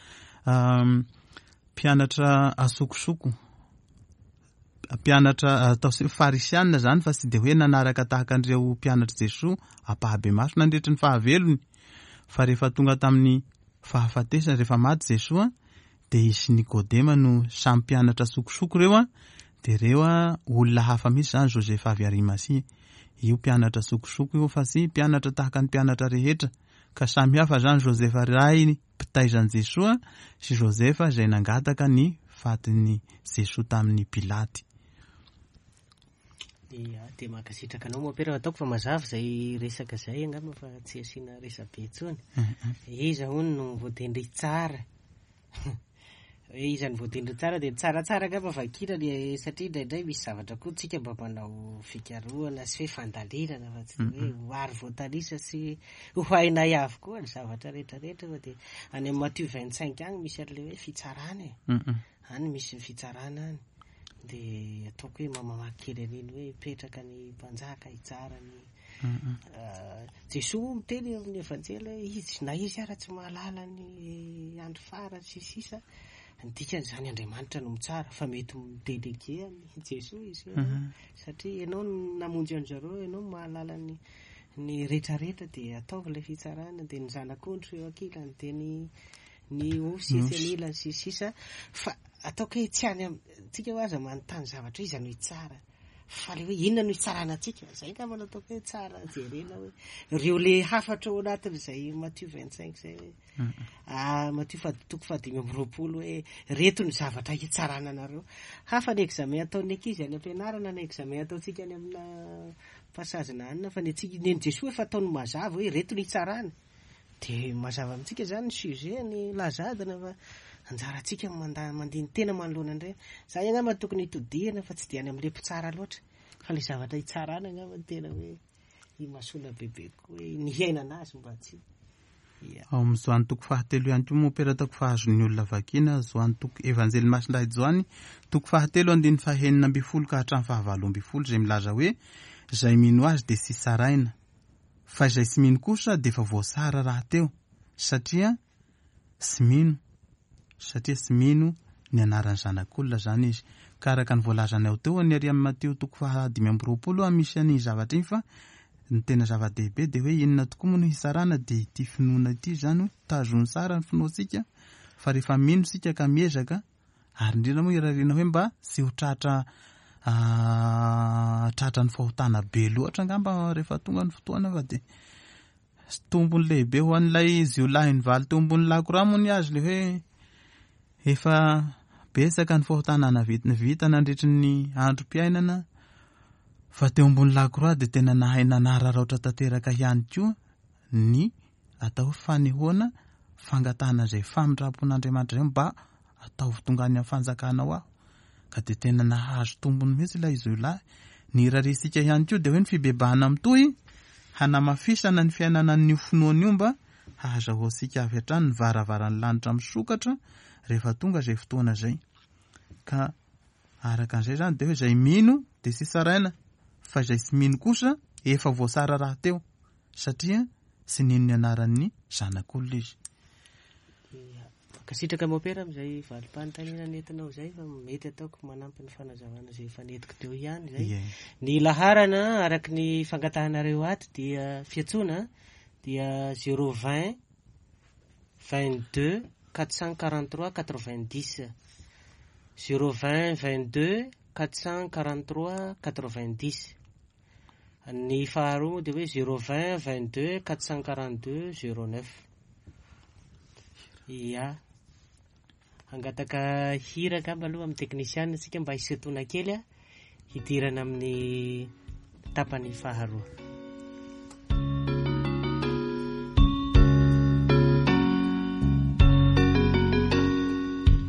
Mpianatra asokosoko, mpianatra atao hoe farisianina izany fa tsy dia hoe nanaraka tahaka an'ireo mpianatr'i Jesoa ampahabemaso nandritry ny fahavelony fa rehefa tonga tamin'ny fahafatesana, rehefa maty Jesoa dia izy sy Nikodema no samy mpianatra sokosoko ireo an, dia ireo olona hafa mihitsy izany Josefa avy Arimasia io mpianatra sokosoko io fa tsy mpianatra tahaka ny mpianatra rehetra ka samy hafa izany Josefa rainy mpitaiza an'i Jesoa sy Josefa izay nangataka ny fatin'i Jesoa tamin'i Pilaty. Ia, dia mankasitraka anao Mompera, ataoko fa mazava izay resaka izay angamba fa tsy asiana resabe intsony. Iza hono no voatendry hitsara? Hoe iza no voatendry tsara dia tsaratsara angamba vakina ny satria indraindray misy zavatra koa tsika mba manao fikarohana sy hoe fandalinana fa tsy hoe ho ary voatanisa sy ho hainay avokoa ny zavatra rehetrarehetra fa dia any amin'ny Matio 25 any misy an'ilay hoe fitsarana e. Any misy ny fitsarana any. Dia ataoko hoe mamamaky kely an'iny hoe hipetraka ny mpanjaka hitsara ny Jesoa moa miteny eo amin'ny Evanjely hoe izy na izy ara tsy mahalala ny andro farany sy sisa, ny dikan'izany Andriamanitra no mitsara fa mety mi-déléguer an'i Jesoa izy io satria ianao no namonjy an-dry zareo, ianao no mahalala ny ny rehetrarehetra dia ataovy ilay fitsarana dia ny zanak'ondry eo ankilany dia ny ny osy etsy anilany sy sisa fa ataoko hoe tsy any amintsika hoe aza manontany zavatra hoe iza no hitsara Fa le hoe inona no hitsarana antsika? Zay angamba no ataoko hoe tsara jerena hoe ireo le hafatra ao anatin'izay Matio 25 izay hoe ah, Matio faha toko faha25 hoe reto ny zavatra hitsarana anareo. Hafa ny examen ataon'ny ankizy any am-pianarana ny examen ataontsika any amina passage na anona fa ny antsika ny an'i Jesoa efa ataony mazava hoe reto ny hitsarana. Dia mazava amintsika izany ny sujet, ny laza adina fa anjarantsika ny manda mandini-tena manoloana an'ireny. Izay angamba no tokony hitodihana fa tsy dia any amin'ilay mpitsara loatra fa ilay zavatra hitsarana angamba no tena hoe imasoana bebe kokoa hoe ny hiainana azy mba tsy Ia. Ao amin'ny Joany toko fahatelo ihany koa moa ataoko fa azon'ny olona vakiana, Joany toko Evanjely Masindahy Joany toko fahatelo andininy fahenina ambin'ny folo ka hatramin'ny fahavalo ambin'ny folo izay milaza hoe izay mino azy dia tsy tsaraina Fa izay tsy mino kosa dia efa voatsara rahateo satria tsy mino, satria tsy mino ny anaran'ny Zanak'olona izany izy. Ka araka ny voalazanao teo ny ary amin'ny Matio toko faha 25 a misy an'iny zavatra iny fa ny tena zava-dehibe dia hoe inona tokoa moa no hitsarana dia ity finoana ity izany hoe tazony tsara ny finoantsika fa rehefa mino isika ka miezaka Ary indrindra moa irariana hoe mba tsy ho tratra tratran'ny fahotana be loatra angamba rehefa tonga ny fotoana fa dia tombony lehibe ho an'ilay jiolahy nivaly teo ambony lakroa moa ny azy le hoe efa betsaka ny fahotana navita nandritry ny androm-piainana fa teo ambony lakroa dia tena nahay nanararaotra tanteraka ihany koa ny atao hoe fanehoana fangatahana izay famindram-pon'Andriamanitra izay mba ataovy tonga any amin'ny fanjakanao aho. Ka dia tena nahazo tombony mihitsy ilay jiolahy. Ny irariantsika ihany koa dia hoe ny fibebahana mitohy hanamafisana ny fiainana an'io finoana io mba hahazahoantsika avy hatrany ny varavaran'ny lanitra misokatra rehefa tonga izay fotoana izay. Ka araka an'izay izany dia hoe izay mino dia tsy tsaraina. Fa izay tsy mino kosa efa voatsara rahateo, satria tsy nino ny anaran'ny Zanak'olona izy. Mankasitraka Mopera amin'izay valim-panontaniana nentinao izay fa mety ataoko manampy ny fanazavana izay efa nentiko teo ihany izay. Ie. Ny laharana araka ny fangatahanareo ato dia fiantsoana dia 020 22 443 90 020 22 443 90. Ny faharoa moa dia hoe 020 22 442 09. Ia. Hangataka hira angamba aloha amin'ny teknisiana isika mba hisintoana kely a, hidirana amin'ny tapany faharoa. Ene.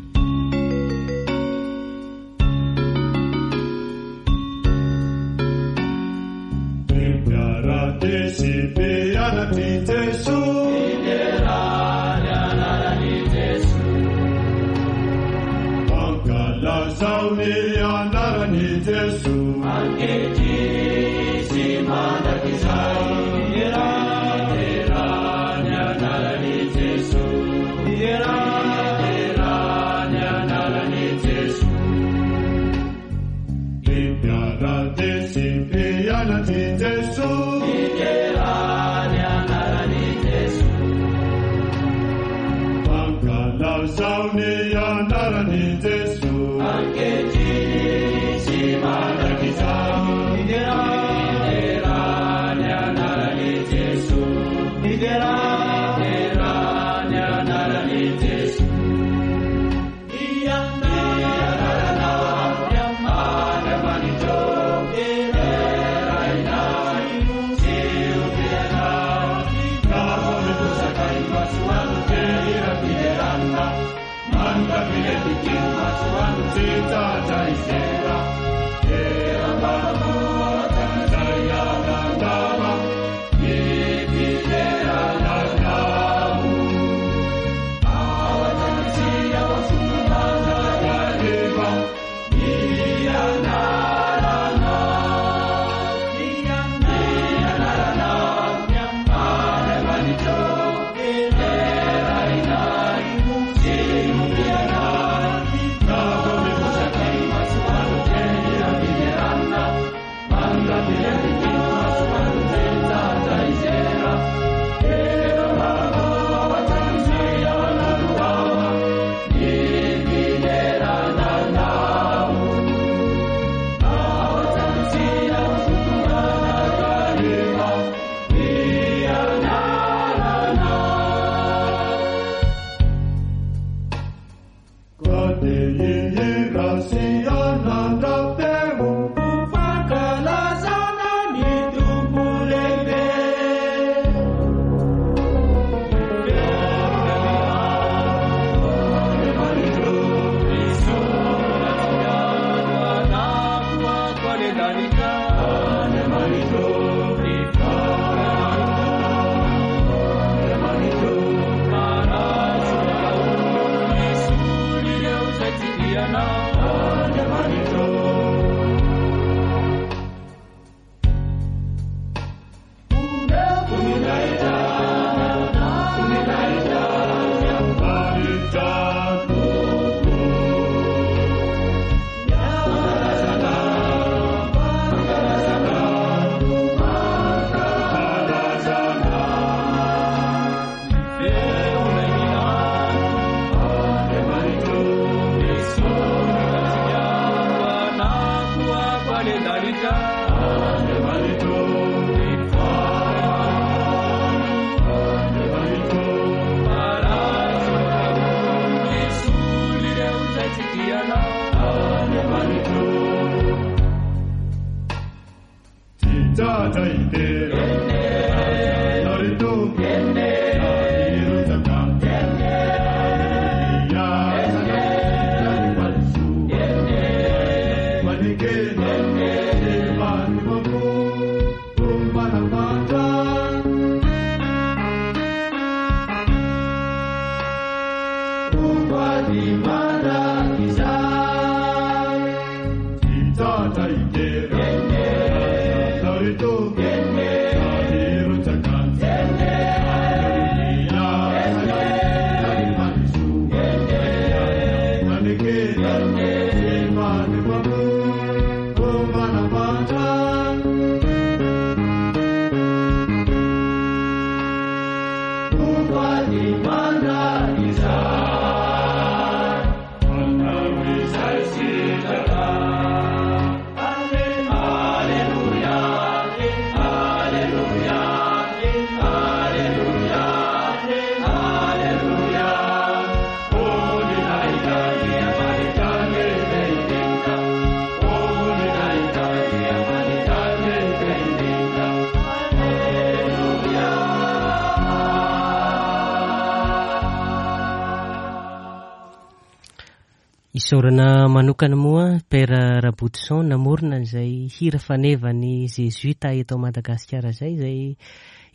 Isaorana manokana moa Père Rabotoson namorona an'izay hira fanevan'ny Zezuita eto Madagasikara izay, izay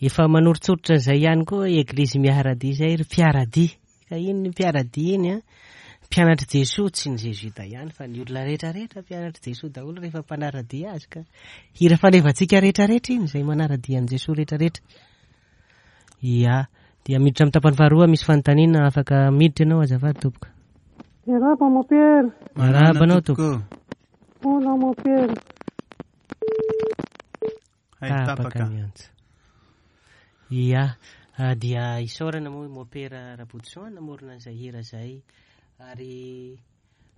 efa manoritsoritra an'izay ihany koa Eglizy Miaradia izay ry mpiaradia. Ka iny ny mpiaradia iny an, mpianatr'i Jesoa, tsy ny Zezuita ihany fa ny olona rehetra rehetra mpianatr'i Jesoa daholo rehefa mpanaradia azy ka. Hira fanevantsika rehetra rehetra iny izay manaradia an'i Jesoa rehetra rehetra. Ia, dia miditra amin'ny tapany faharoa misy fanontaniana afaka miditra ianao azafady tompoko. Miarahaba mon père. Miarahaba anao tompoko. Hola mon père. Hay Tapaka tapaka. ny antso. Ia, ah, dia isaorana moa i Mopera Rabotoson namorona an'izay hira izay. Ary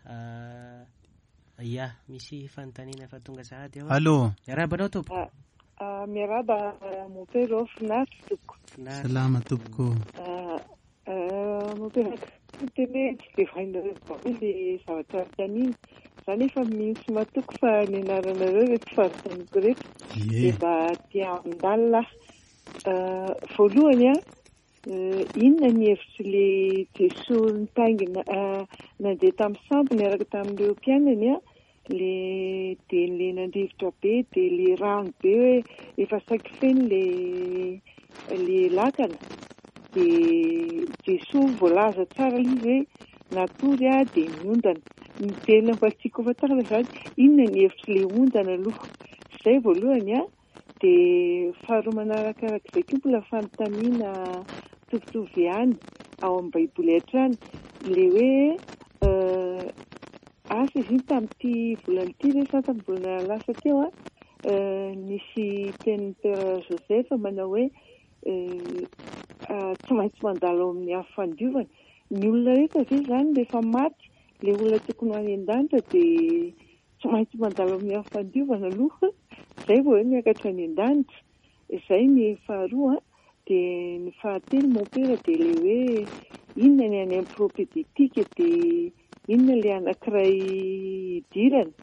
ah, ia, misy fanontaniana efa tonga sahady ao. Allô. Miarahaba anao tompoko. Ah, miarahaba mon père ô, finaritra tompoko. Finaritra. Salama tompoko. Ah, ah, mon père, tena hoe tsy dia hainareo daholo ilay zavatra anontaniana. Za nefa mino sy matoky fa ny anaranareo ireto fanontaniako ireto. Ie. Dia mba te handalina aho. Ah, voalohany an, inona ny hevitr'ilay Jesoa nitaingina, ah, nandeha tamin'ny sambo niaraka tamin'ireo mpianany an, le dia le nandrivotra be dia le rano be hoe efa saiky feno le le lakana dia Jesoa voalaza tsara ilay izy hoe natory aho dia niondana. Ny tena mba tiako hofantarina izany, inona ny hevitr'ilay ondana aloha? Izay voalohany an, dia faharoa manarakarak'izay koa mbola fanontaniana mitovitovy ihany ao amin'ny Baiboly hatrany, ilay hoe asa izy iny tamin'ity volana ity ve sa tamin'ny volana lasa teo an, nisy tenin'ny Père Joseph manao hoe tsy maintsy mandalo ao amin'ny afo fandiovana. Ny olona rehetra ve izany rehefa maty, ilay olona tokony ho any an-danitra dia tsy maintsy mandalo amin'ny afo fandiovana aloha, izay vao hoe miakatra any an-danitra. Izay ny faharoa an. Dia ny fahatelo mon père dia ilay hoe inona ny any amin'ny propédeutique dia inona ilay anankiray idirana.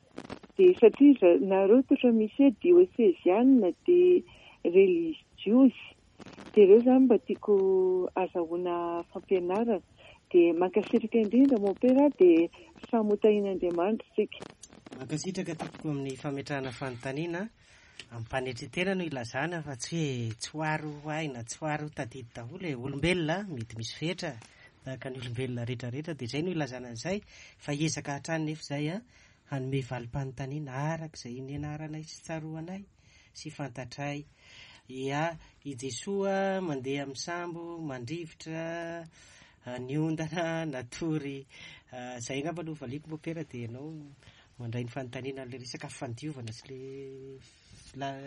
Dia satria nareo totra misy hoe diosezianina dia relijiozy. Dia ireo izany mba tiako azahoana fampianarana. Dia mankasitraka indrindra mon père dia samy ho tahian'Andriamanitra isika. Mankasitraka tompoko amin'ny fametrahana fanontaniana. Ampanetritena no ilazana fa tsy hoe tsy ho ary ho hay na tsy ho ary ho tadidy daholo e. Olombelona mety misy fetra tahaka ny olombelona rehetrarehetra dia izay no ilazana an'izay fa hiezaka hatrany nefa izay an hanome valim-panontaniana araka izay nianaranay sy tsaroanay sy fantatray. Ia, i Jesoa mandeha amin'ny sambo, mandrivotra, niondana, natory. Izay angamba no valiako mopera dia ianao mandray ny fanontaniana ilay resaka fandiovana sy le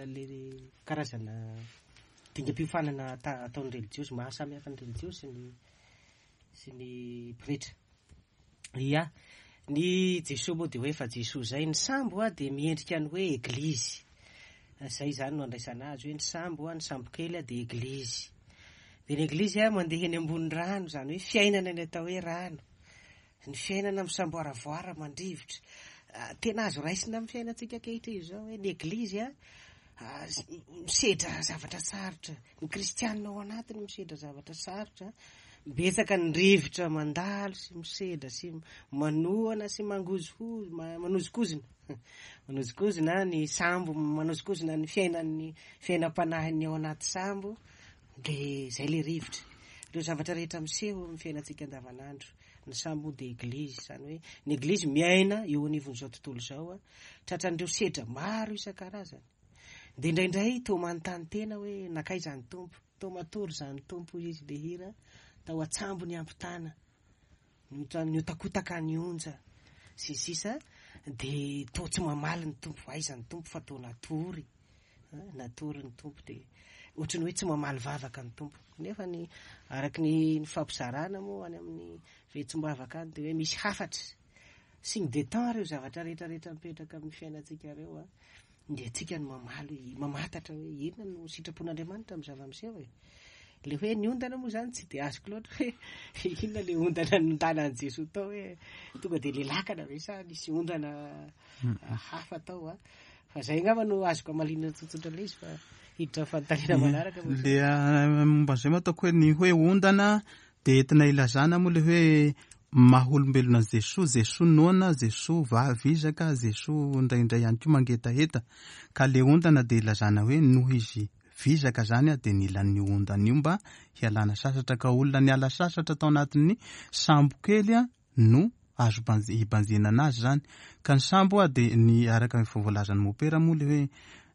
le karazana dingam-piofanana ataon'ny relijiozy, maha samy hafa ny relijiozy sy ny sy ny pretra. Ia, ny Jesoa moa dia hoe fa Jesoa izay, ny sambo a dia miendrika ny hoe eglizy. Izay izany no andraisana azy hoe ny sambo a, ny sambo kely a dia eglizy. Dia ny eglizy a mandeha eny ambony rano, izany hoe fiainana ny atao hoe rano. Ny fiainana misamboaravoara mandrivotra. Tena azo raisina amin'ny fiainantsika ankehitriny izao hoe ny eglizy a misedra zavatra sarotra. Ny kristianina ao anatiny misedra zavatra sarotra. Betsaka ny rivotra mandalo sy misedra sy manohana sy mangozohozo, manozokozona. Manozokozona ny sambo, manozokozona ny fiainan'ny fiainam-panahin'ny ao anaty sambo. Dia izay ilay rivotra. Ireo zavatra rehetra miseho amin'ny fiainantsika andavanandro. Ny sambo dia eglizy, izany hoe ny eglizy miaina eo anivon'izao tontolo izao, tratran'ireo sedra maro isan-karazany. Dia indraindray toa manontany tena hoe nankaiza ny Tompo, toa matory izany Tompo hoy izy ilay hira, tao an-tsambo niampitana, nihotakotaka ny onja sy ny sisa, dia toa tsy mamaly ny Tompo, aiza ny Tompo fa toa natory. Natory ny Tompo dia. ohatran'ny hoe tsy mamaly vavaka ny Tompo. Nefa ny araka ny nifampizarana moa any amin'ny vetsom-bavaka any dia hoe misy hafatra, signe des temps ireo zavatra rehetra rehetra mipetraka amin'ny fiainantsika ireo an. Dia antsika no mamaly, mamantatra hoe inona no sitrapon'Andriamanitra amin'ny zava-miseho e. Le hoe ny ondana moa zany tsy dia azoko loatra hoe inona le ondana nondanan'i Jesoa tao hoe tonga dia le lakana ve sa nisy ondana hafa tao a. Fa zay angamba no azoko amaliana tsotsotra le izy fa hiditra fanontaniana manaraka. Le momba an'izay moa ataoko hoe ny hoe ondana dia entina ilazana moa le hoe maha olombelona an'i Jesoa, Jesoa noana, Jesoa vizaka, Jesoa indraindray ihany koa mangetaheta. Ka le ondana dia ilazana hoe noho izy vizaka zany dia nila an'io ondana io mba hialana sasatra. Ka olona niala sasatra tao anatin'ny sambo kely no azo hibanjinana azy zany. Ka ny sambo dia ny araka ny voalazan'ny mopera moa le hoe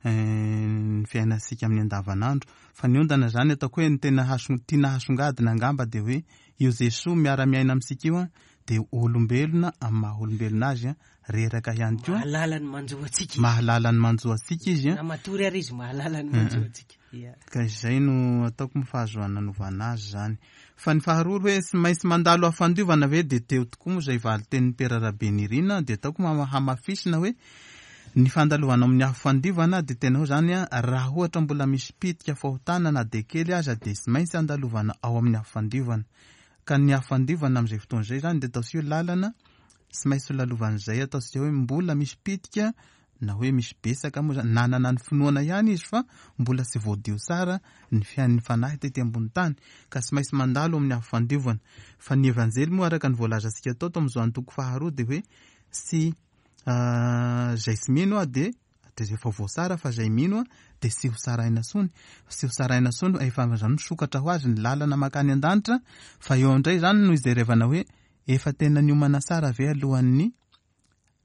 ny fiainantsika amin'ny andavanandro. Fa ny ondana zany ataoko hoe ny tena tiana hasongadina angamba dia hoe io Jesoa miara-miaina amintsika io dia olombelona amin'ny maha olombelona azy, reraka ihany koa. Mahalala ny manjo antsika izy. Mahalala ny manjo antsika izy. Na matory ary izy mahalala ny manjo antsika. Ia. Ka izay no ataoko moa fahazoana nanovana azy izany. Fa ny faharoa hoe tsy maintsy mandalo hafandiovana ve dia teo tokoa moa izay valin-tenin'i Pera Rabenirina dia ataoko hamafisina hoe ny fandalovana amin'ny afo fandiovana dia tena hoe izany raha ohatra mbola misy pitika fahotana na dia kely aza dia tsy maintsy andalovana ao amin'ny afo fandiovana. Ka ny afo fandiovana amin'izay fotoana izay izany dia ataontsika hoe lalana tsy maintsy ho lalovan'izay ataontsika hoe mbola misy pitika na hoe misy betsaka moa izany, nanana ny finoana ihany izy fa mbola tsy voadio tsara ny fiain'ny fanahy tety ambony tany ka tsy maintsy mandalo amin'ny afo fandiovana. Fa ny Evanjely moa araka ny voalazantsika tao tao amin'izao antoko faharoa dia hoe tsy izay tsy mino aho dia dia efa voatsara fa izay mino aho dia tsy ho tsaraina intsony, tsy ho tsaraina intsony fa efa izany misokatra ho azy ny lalana mankany an-danitra fa eo indray izany no ijerevana hoe efa tena niomana tsara ve alohan'ny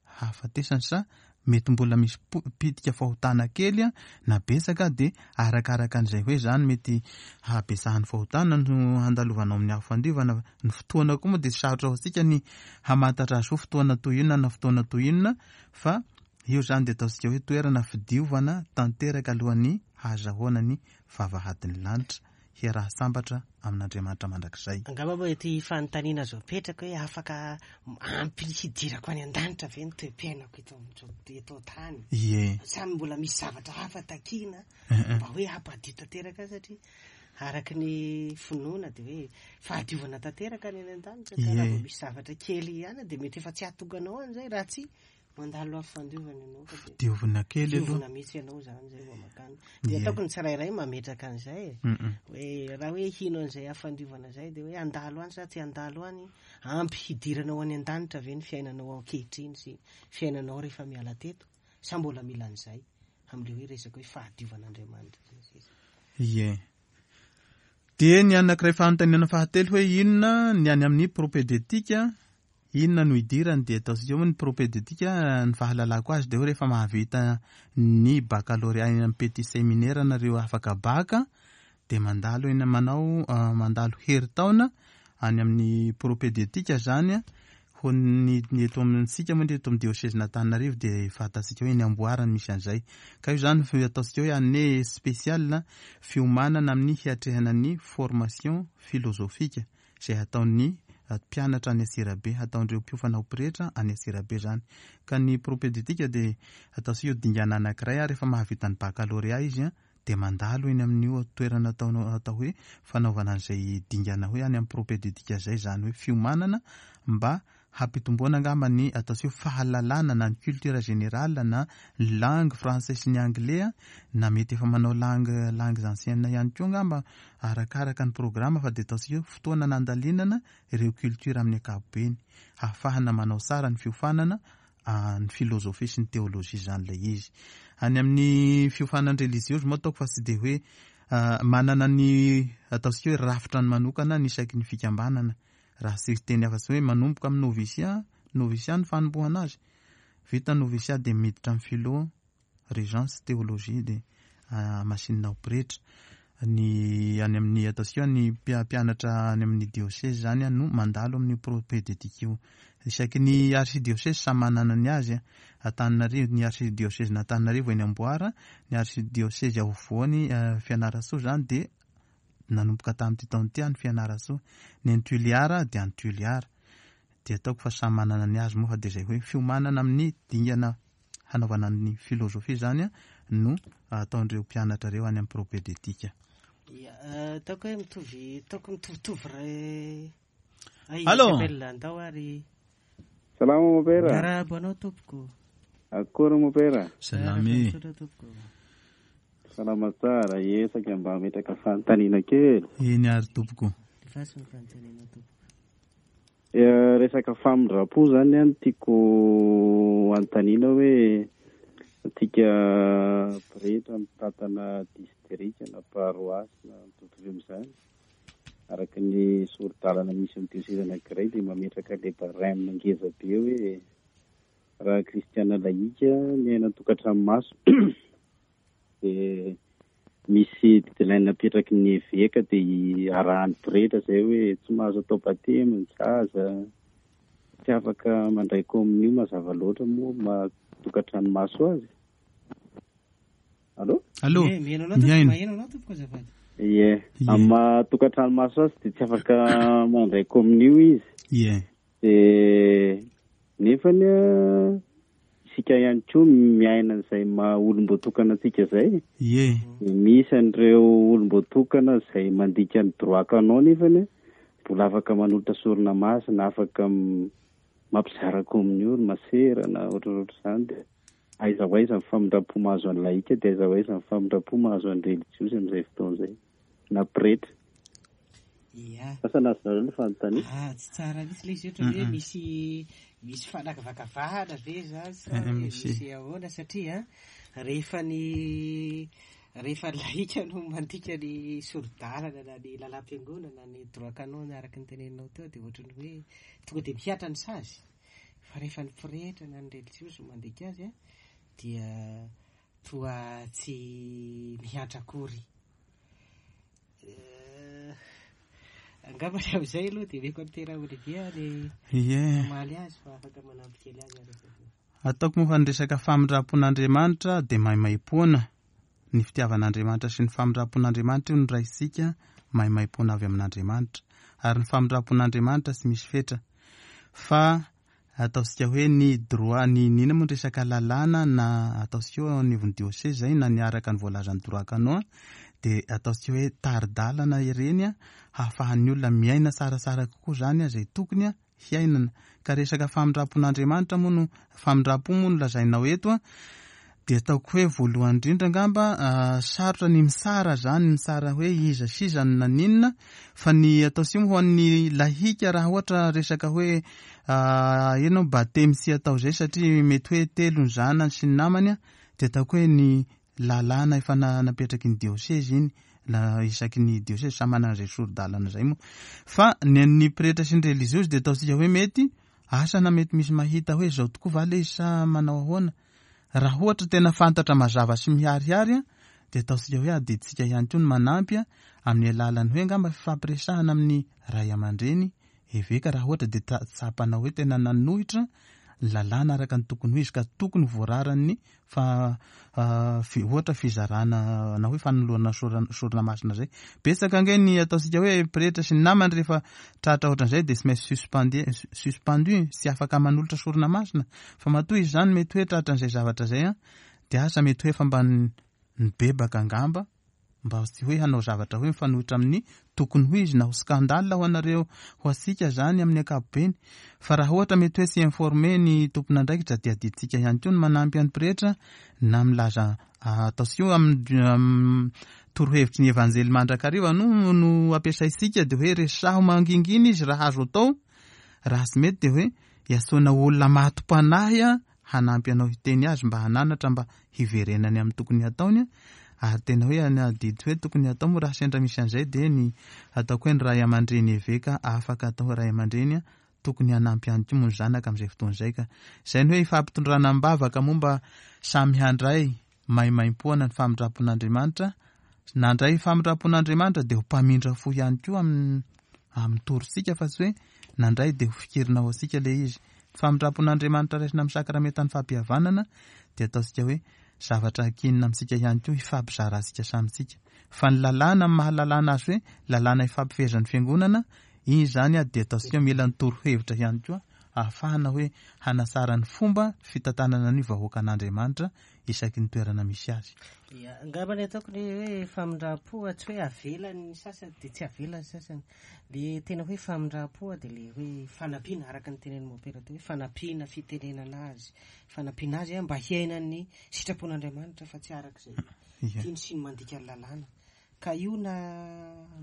hahafatesany sa mety mbola misy pitika fahotana kely na betsaka dia arakaraka an'izay hoe izany mety habetsahan'ny fahotana no handalovanao amin'ny afo fandiovana. Ny fotoana koa moa dia sarotra ho antsika ny hamantatra azy hoe fotoana toy inona na fotoana toy inona fa io izany dia ataontsika hoe toerana fidiovana tanteraka alohan'ny hahazahoana ny vavahadin'ny lanitra. Hiaraha-sambatra amin'Andriamanitra mandrakizay. Angamba moa ity fanontaniana azo apetraka hoe afaka ampy hidirako any an-danitra ve ny toe-piainako eto amin'izao eto an-tany? Ie. Sa mbola misy zavatra hafa takiana mba hoe hampadio tanteraka ahy satria araka ny finoana dia hoe fahadiovana tanteraka ny any an-danitra ka raha vao misy zavatra kely ihany dia mety efa tsy hahatonga anao any izay raha tsy Mandalo afo fandiovana ianao fa dia Diovina kely aloha. Diovina mihitsy ianao izany izay vao makany. Dia ataoko ny tsirairay mametraka an'izay e. Hoe raha hoe hino an'izay afo fandiovana izay dia hoe handalo any sa tsy handalo any, ampy hidiranao any an-danitra ve ny fiainanao ankehitriny sy fiainanao rehefa miala teto sa mbola mila an'izay amin'ilay hoe resaka hoe fahadiovan'Andriamanitra sy ny sisa. Ie. Dia ny anankiray fanontaniana fahatelo hoe inona ny any amin'ny propédeutique Inona no idirany dia ataontsika hoe ny propédeutique ny fahalalako azy dia hoe rehefa mahavita ny baccalauréat eny amin'ny petit séminaire nareo afaka bac dia mandalo eny manao mandalo herintaona any amin'ny propédeutique zany ho ny eto amintsika moa eto amin'ny diocèse n'Antananarivo dia fantatsika hoe eny Amboara no misy an'izay ka io zany ataontsika hoe année spéciale fiomanana amin'ny hiatrehana ny formation philosophique izay hataon'ny mpianatra any Antsirabe, hataon'ireo mpiofana ho pretra any Antsirabe izany. Ka ny propédeutique dia ataontsika io dingana anankiray ary rehefa mahavita ny baccalauréat izy dia mandalo eny amin'io toerana atao atao hoe fanaovana an'izay dingana hoe any amin'ny propédeutique izay, izany hoe fiomanana mba hampitomboana angamba ny ataontsika hoe fahalalana na ny culture générale na ny langue français sy ny anglais na mety efa manao langue langues anciennes ihany koa angamba arakaraka ny programme fa dia ataontsika hoe fotoana nandalinana ireo culture amin'ny ankapobeny hahafahana manao tsara ny fiofanana ny philosophie sy ny théologie izany ilay izy. Any amin'ny fiofanan religieuse moa ataoko fa tsy dia hoe manana ny ataontsika hoe rafitra ny manokana ny isaky ny fikambanana Raha tsy hiteny afa-tsy hoe manomboka amin'ny noviciat, noviciat ny fanombohana azy, vita ny noviciat dia miditra amin'ny philo, régence, théologie dia hamasinina ho pretra. Ny any amin'ny ataontsika hoe ny mpianatra any amin'ny diocèse izany no mandalo amin'io propédeutique io. Isaky ny archidiocèse samy manana ny azy. Antananarivo, ny archidiocèse-n'Antananarivo eny Amboara, ny archidiocèse afovoany Fianarantsoa izany dia nanomboka tamin'ity taona ity any Fianarantsoa. Ny any Toliara dia any Toliara. Dia ataoko fa samy manana ny azy moa fa dia izay hoe fiomanana amin'ny dingana hanaovana ny filozofia izany no ataon'ireo mpianatra ireo any amin'ny propédeutique. Ya, ataoko hoe mitovy, ataoko mitovitovy re. Ay, Allô? Isabelle, andao ary. Salama mon père. Miarahaba anao tompoko. Akory mon père. Salama e. Misaotra tompoko. Salama tsara, esaka mba hametraka fanontaniana kely. Eny ary tompoko. Lefaso ny fanontaniana tompoko. Resaka famindram-po zany an tiako anontaniana hoe antsika pretra mitantana distrika na paroasy na mitovitovy amin'izany, araka ny sori-dalana misy amin'ny diocèse anankiray dia mametraka ilay barème ngeza be hoe raha kristiana laïka miaina an-tokantrano maso dia misy guideline napetraky ny eveka dia arahan'ny pretra izay hoe tsy mahazo atao batemy ny zaza, tsy afaka mandray communion mazava loatra moa maha tokantrano maso azy. Allô? Allô? Ie, mihaino anao tompoko, Mihaino. maheno anao tompoko azafady. Ie, Ie. amin'ny maha tokantrano maso azy dia tsy afaka mandray communion izy. Ie. Dia nefany isika ihany koa miaina an'izay maha olom-boatokana antsika izay. Ie. Dia misy an'ireo olom-boatokana izay mandika ny droit canon nefany mbola afaka manolotra sorona masina, afaka mampizara communion, ny masera na ohatrohatr' izany. Dia aiza ho aiza ny famindram-po mahazo an'ny laïka, dia aiza ho aiza ny famindram-po mahazo an'ny religiosy amin'izay fotoana izay, na pretra. Ia. Asa nazonareo ny fanontaniana? Ah, tsy tsara mihitsy ilay izy ohatra hoe misy misy fanakavakavahana ve zany sa hoe misy ahoana satria rehefa ny rehefa ny laïka no mandika ny sori-dalana na ny lalam-piangonana na ny droit canon araka ny teneninao teo dia ohatran'ny hoe tonga dia mihatra ny sazy, fa rehefa ny pretra na ny religiosy no mandika azy dia toa tsy mihantra akory. Angamba ny amin'izay aloha dia omeko an'i Tera Olivier ny hamaly azy fa afaka manampy kely azy ary izy. Ataoko moa fa ny resaka famindram-pon'Andriamanitra dia maimaimpoana. Ny fitiavan'Andriamanitra sy ny famindram-pon'Andriamanitra io no raisintsika maimaimpoana avy amin'Andriamanitra. Ary ny famindram-pon'Andriamanitra tsy misy fetra. Fa ataontsika hoe ny droit, ny inona moa ny resaka lalàna na ataontsika hoe eo anivon'ny diocèse izay na ny araka ny voalazan'ny droit canon dia ataontsika hoe tari-dalana ireny hahafahan'ny olona miaina tsaratsara kokoa izany izay tokony hiainana. Ka resaka famindram-pon'Andriamanitra moa no, famindram-po moa no lazainao eto dia ataoko hoe voalohany indrindra angamba sarotra ny mitsara izany, mitsara hoe iza sy iza no naninona, fa ny ataontsika moa ho an'ny lahika raha ohatra resaka hoe ianao batemy tsy atao izay satria mety hoe telo ny zanany sy ny namany dia ataoko hoe ny lalàna efa napetraky ny diocèse iny, la isaky ny diocèse samy manana izay sori-dalana izay moa. Fa ny an'ny pretra sy ny reliziozy dia ataontsika hoe mety asa na mety misy mahita hoe izao tokoa va ilay izy sa manao ahoana. Raha ohatra tena fantatra mazava sy miharihary dia ataontsika hoe adidintsika ihany koa ny manampy amin'ny alalan'ny hoe angamba fifampiresahana amin'ny ray aman-dreny, eveka raha ohatra dia tsapanao hoe tena nanohitra ny lalàna araka ny tokony ho izy ka tokony ho voararan'ny fa ohatra fizarana na hoe fanolorana sorona masina izay. Betsaka ange ny ataontsika hoe pretra sy ny namany rehefa tratra ohatran'izay dia tsy maintsy suspendu, suspendu, tsy afaka manolotra sorona masina. Fa matoa izy izany mety hoe tratran'izay zavatra izay an, dia asa mety hoe efa mba nibebaka angamba. Mba tsy hoe hanao zavatra hoe mifanohitra amin'ny tokony ho izy na ho scandale ho anareo ho antsika zany amin'ny ankapobeny. Fa raha ohatra mety hoe tsy informé ny tompon'andraikitra dia adidintsika ihany koa ny manampy an'ny pretra na milaza ataontsika hoe amin'ny torohevitry ny evanjely mandrakariva no no ampiasaintsika dia hoe resaho mangingina izy raha azo atao, raha tsy mety dia hoe iantsoana olona mato-panahy hanampy anao hiteny azy mba hananatra mba hiverenany amin'ny tokony hataony ary tena hoe ny adidy hoe tokony hatao moa raha sendra misy an'izay dia ny ataoko hoe ny ray aman-dreny eveka afaka atao ray aman-dreny tokony hanampy ihany koa moa ny zanaka amin'izay fotoana izay ka izay ny hoe ifampitondrana am-bavaka moa mba samy handray maimaimpoana ny famindram-pon'Andriamanitra nandray famindram-pon'Andriamanitra dia ho mpamindra fo ihany koa amin'ny amin'ny torintsika fa tsy hoe nandray dia ho fikirina ho antsika ilay izy. Famindram-pon'Andriamanitra raisina amin'ny sakramentan'ny fampihavanana dia ataontsika hoe zavatra ankinina amintsika ihany koa hifampizarantsika samy tsika. Fa ny lalàna amin'ny maha lalàna azy hoe lalàna ifampifehezan'ny fiangonana, iny izany dia ataontsika hoe mila ny torohevitra ihany koa ahafahana hoe hanatsara ny fomba fitantanana ny vahoakan'Andriamanitra isaky ny toerana misy azy. Ia, angamba ny ataoko ny hoe famindram-po tsy hoe avela ny sasany dia tsy avela ny sasany. Le tena hoe famindram-po dia le hoe fanampiana araka ny tenenin'i Mompera teo hoe fanampiana, fitenenana azy, fanampiana azy mba hiaina ny sitrapon'Andriamanitra fa tsy araka izay tiany sy ny mandika ny lalàna. Ka io na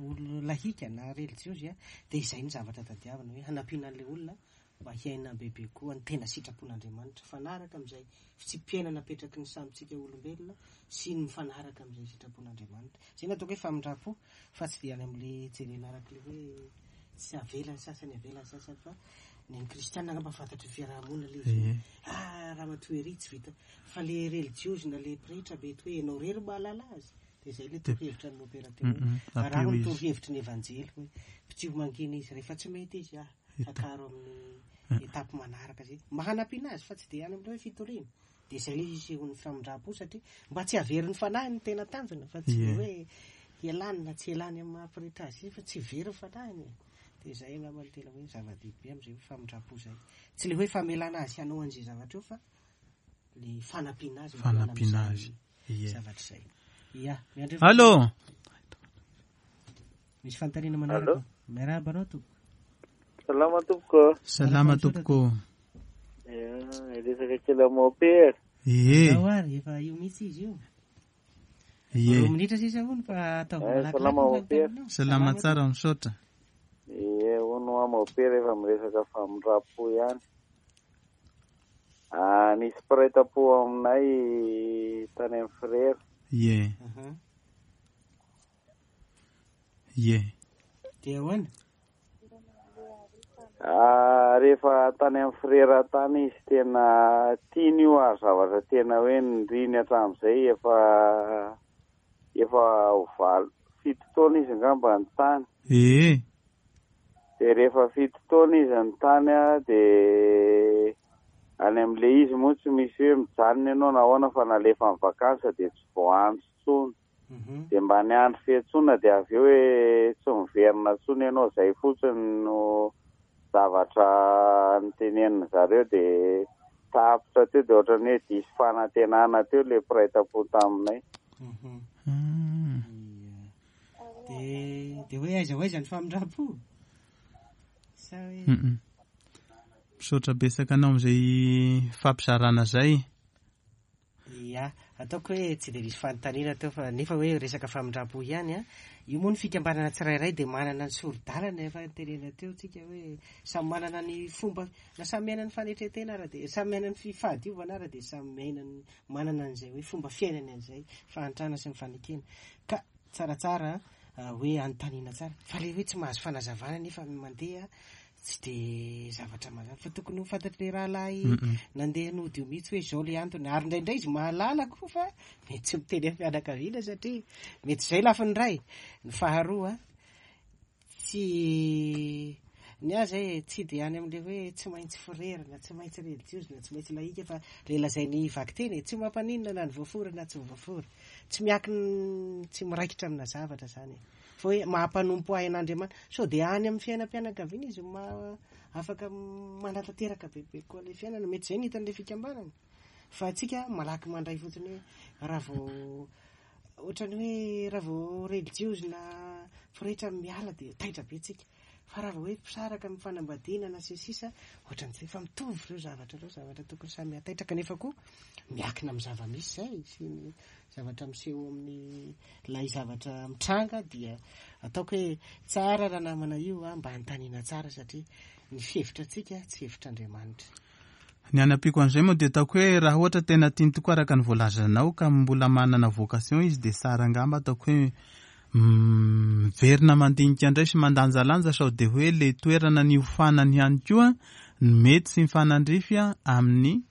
olona lahika na relijiozy dia izay ny zavatra tadiavina hoe hanampiana an'ilay olona mba hiaina bebe koa ny tena sitrapon'Andriamanitra, mifanaraka amin'izay fitsipi-piainana apetraky ny samintsika olombelona sy ny mifanaraka amin'izay sitrapon'Andriamanitra. Izay no ataoko hoe famindram-po fa tsy dia any amin'ilay jerena araka ilay hoe tsy avela ny sasany avela ny sasany fa ny an'ny kristiana angamba fantatry ny fiaraha-monina ilay izy hoe ah ramatoa ery tsy vita fa ilay relijiozy na ilay pretra mety hoe ianao irery mahalala azy. Dia izay ilay torohevitra ny mopera teo hoe araho ny torohevitry ny evanjely hoe mpitsio mangina izy rehefa tsy mety izy ah akaro amin'ny étape manaraka zay mba hanampiana azy fa tsy dia any amin'ilay hoe fitoriana. Dia izay ilay isehoan'ny famindram-po satria mba tsy haverin'ny fanahy ny tena tanjona fa tsy dia hoe hialany na tsy hialany amin'ny maha pretra azy fa tsy very ny fanahiny e. Dia izay angamba no tena hoe zava-dehibe amin'izay hoe famindram-po izay. Tsy ilay hoe famelana azy hanao an'izay zavatra eo fa ilay fanampiana azy mba hiala Fanampiana azy. amin'izany Ie. zavatra izay. Ia, miandry Allô? Misy fanontaniana manaraka? Allô? Miarahaba anao tompoko. Salama tompoko. Salama tompoko. Ia, resaka kely amin'ny mompera. Ie. Andao ary, efa io mihitsy izy io. Ie. Roa minitra sisa hono fa ataovy Eh, malakilaky salama ny mompera. fanontanianao. Salama tsara, misaotra. Ie, hono hoa mompera efa miresaka famindram-po ihany. Ah, nisy mpiray tam-po aminay tany amin'ny frera. Ie. Aha. Ie. Dia ahoana? Ah, rehefa tany amin'ny frera tany izy tena tiany io ary zavatra tena hoe niriny hatramin'izay efa efa ho valo fito taona izy angamba ny tany. Ie. Dia rehefa fito taona izy ny tany a, dia any amin'ilay izy moa tsy misy hoe mijanona ianao na ahoana fa nalefa amin'ny vacances dia tsy voaantso intsony. Dia mba niandry fiantsoana dia avy eo hoe tsy miverina intsony ianao, izay fotsiny no zavatra notenenin-dry zareo dia tapitra teo dia ohatran'ny hoe diso fanantenana teo ilay mpiray tam-po taminay. Dia dia hoe aiza ho aiza ny famindram-po? Sa hoe Misaotra betsaka anao amin'izay fampizarana izay. Ia, ataoko hoe tsy dia nisy fanontaniana teo fa nefa hoe resaka famindram-po ihany an. Io moa ny fikambanana tsirairay dia manana ny sori-dalana efa nitenenana teo tsika hoe samy manana ny fomba na samy miaina ny fanetren-tena ara dia samy miaina ny fahadiovana ara dia samy miaina ny manana an'izay hoe fomba fiainany an'izay fahantrana sy ny fanekena. Ka tsaratsara hoe anontaniana tsara fa ilay hoe tsy mahazo fanazavana nefa mandeha Tsy dia zavatra mazava fa tokony ho fantatr'ilay rahalahy nandeha nody io mihitsy hoe izao ilay antony ary indraindray izy mahalala koa fa mety tsy miteny amin'ny fianakaviana satria mety izay lafiny iray. Ny faharoa tsy ny ahy izay tsy dia any amin'ilay hoe tsy maintsy frera na tsy maintsy relijiozy na tsy maintsy lahika fa ilay lazain'ny vakiteny e, tsy mampaninona na ny voafora na tsy voafora. Tsy miankina tsy miraikitra amina zavatra izany e. Fa hoe maha-mpanompo ahy an'Andriamanitra. Sao dia any amin'ny fiainam-pianakaviana izy no maha afaka manatanteraka bebe kokoa ilay fiainana. Mety izay no hitan'ilay fikambanana. Fa antsika malaky mandray fotsiny hoe raha vao ohatran'ny hoe raha vao relijiozy na pretra miala dia taitra be tsika. Fa raha vao hoe mpisaraka amin'ny fanambadiana na sy ny sisa, ohatran'ny tsy efa mitovy ireo zavatra ireo, zavatra tokony samy hataitra kanefa koa miankina amin'ny zava-misy izay sy ny zavatra miseho amin'ny ilay zavatra mitranga dia ataoko hoe tsara raha namana io mba hanontaniana tsara satria ny fihevitra antsika tsy hevitr'Andriamanitra. Ny hanampiako an'izay moa dia ataoko hoe raha ohatra tena tiany tokoa araka ny voalazanao ka mbola manana vocation izy dia tsara angamba ataoko hoe miverina mandinika indray sy mandanjalanja sao dia hoe le toerana niofanany ihany koa no mety sy mifanandrify amin'ny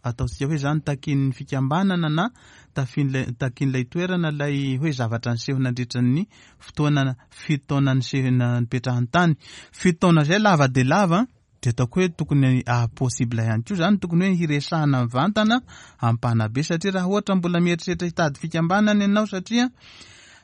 ataontsika hoe zany takian'ny fikambanana na tafian'ilay takian'ilay toerana ilay hoe zavatra niseho nandritra ny fotoana fito taona niseho nipetrahany tany. Fito taona izay lava dia lava. Dia ataoko hoe tokony possible ihany koa izany, tokony hoe hiresahana mivantana amin'ny mpanabe satria raha ohatra mbola mieritreritra hitady fikambanana ianao satria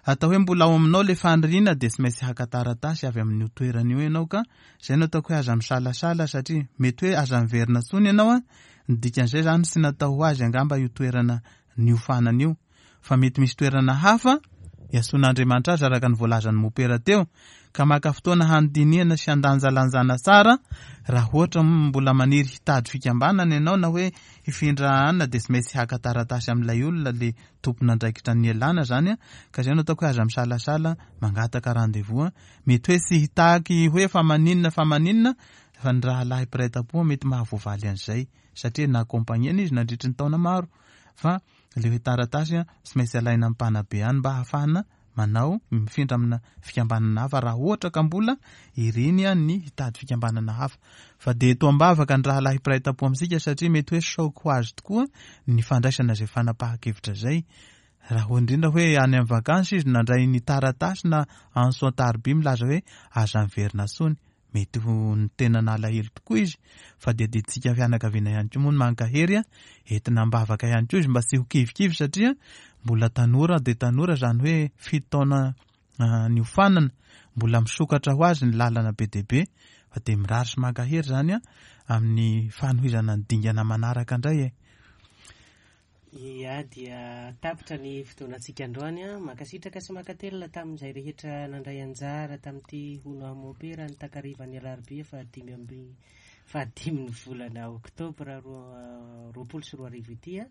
atao hoe mbola ao aminao ilay faniriana dia tsy maintsy haka taratasy avy amin'io toerana io ianao ka izay no ataoko hoe aza misalasala satria mety hoe aza miverina intsony ianao an, ny dikan'izay izany tsy natao ho azy angamba io toerana niofanana io fa mety misy toerana hafa iantsoan'Andriamanitra azy araka ny voalazan'i Mopera teo ka maka fotoana handinihana sy handanjalanjana tsara raha ohatra mbola maniry hitady fikambanana ianao na hoe hifindra anona dia tsy maintsy haka taratasy amin'ilay olona le tompon'andraikitra ny ialana zany ka izay no ataoko hoe aza misalasala mangataka rendez-vous mety hoe tsy hitaky hoe fa maninona fa maninona fa ny rahalahy mpiray tampo mety mahavoavaly an'izay satria na-accompagner-na izy nandritry ny taona maro fa le hoe taratasy tsy maintsy alaina amin'ny mpanabe any mba hahafahana manao mifindra amina fikambanana hafa raha ohatra ka mbola iriny ny hitady fikambanana hafa. Fa dia eto am-bavaka ny rahalahy mpiray tampo amintsika satria mety hoe choc ho azy tokoa ny fandraisana izay fanapahan-kevitra izay. Raha ho indrindra hoe any amin'ny vakansy izy nandray ny taratasy na antso an-tariby milaza hoe aza miverina intsony. Mety ho ny tena nalahelo tokoa izy fa dia adidintsika fianakaviana ihany koa moa ny mankahery entina am-bavaka ihany koa izy mba tsy ho kivikivy satria mbola tanora dia tanora izany hoe fito taona niofanana mbola misokatra ho azy ny lalana be dia be fa dia mirary sy mankahery izany amin'ny fanohizana ny dingana manaraka indray e. Ia dia tapitra ny fotoanantsika androany an. Mankasitraka sy mankatelina tamin'izay rehetra nandray anjara tamin'ity hono aho mopera ny takarivan'ny alarobia fahadimy amby fahadimin'ny volana oktobra 2022 ity an.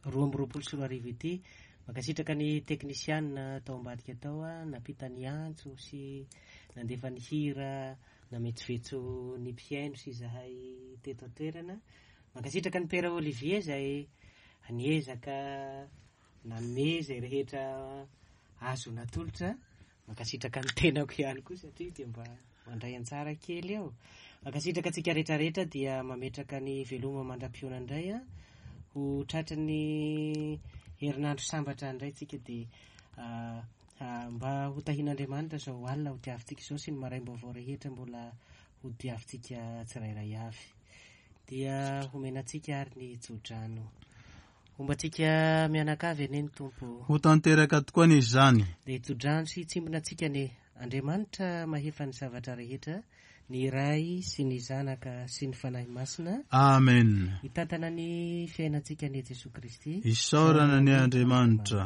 2022 ity. Mankasitraka ny teknisianina tao ambadika tao an, nampita ny antso sy nandefa ny hira nametsovetso ny mpihaino sy izahay teto an-toerana. Mankasitraka an'i Père Olivier izay niezaka nanome izay rehetra azo natolotra. Mankasitraka ny tenako ihany koa satria dia mba mandray anjara kely eo. Mankasitraka antsika rehetra rehetra dia mametraka ny veloma mandra-pihaona indray an. Ho tratry ny herinandro sambatra indray tsika dia mba ho tahian'Andriamanitra izao alina ho diavintsika izao sy ny maraim-baovao rehetra mbola ho diavintsika tsirairay avy. Dia homena antsika ary ny tsodrano. Homba antsika mianakavy anie ny Tompo. Ho tanteraka tokoa anie izany. Dia hitsodrano sy hitsimbina antsika anie Andriamanitra mahefa ny zavatra rehetra, ny Ray sy ny Zanaka sy ny Fanahy Masina. Amen. Hitantana ny fiainantsika anie Jesoa Kristy. Isaorana anie Andriamanitra.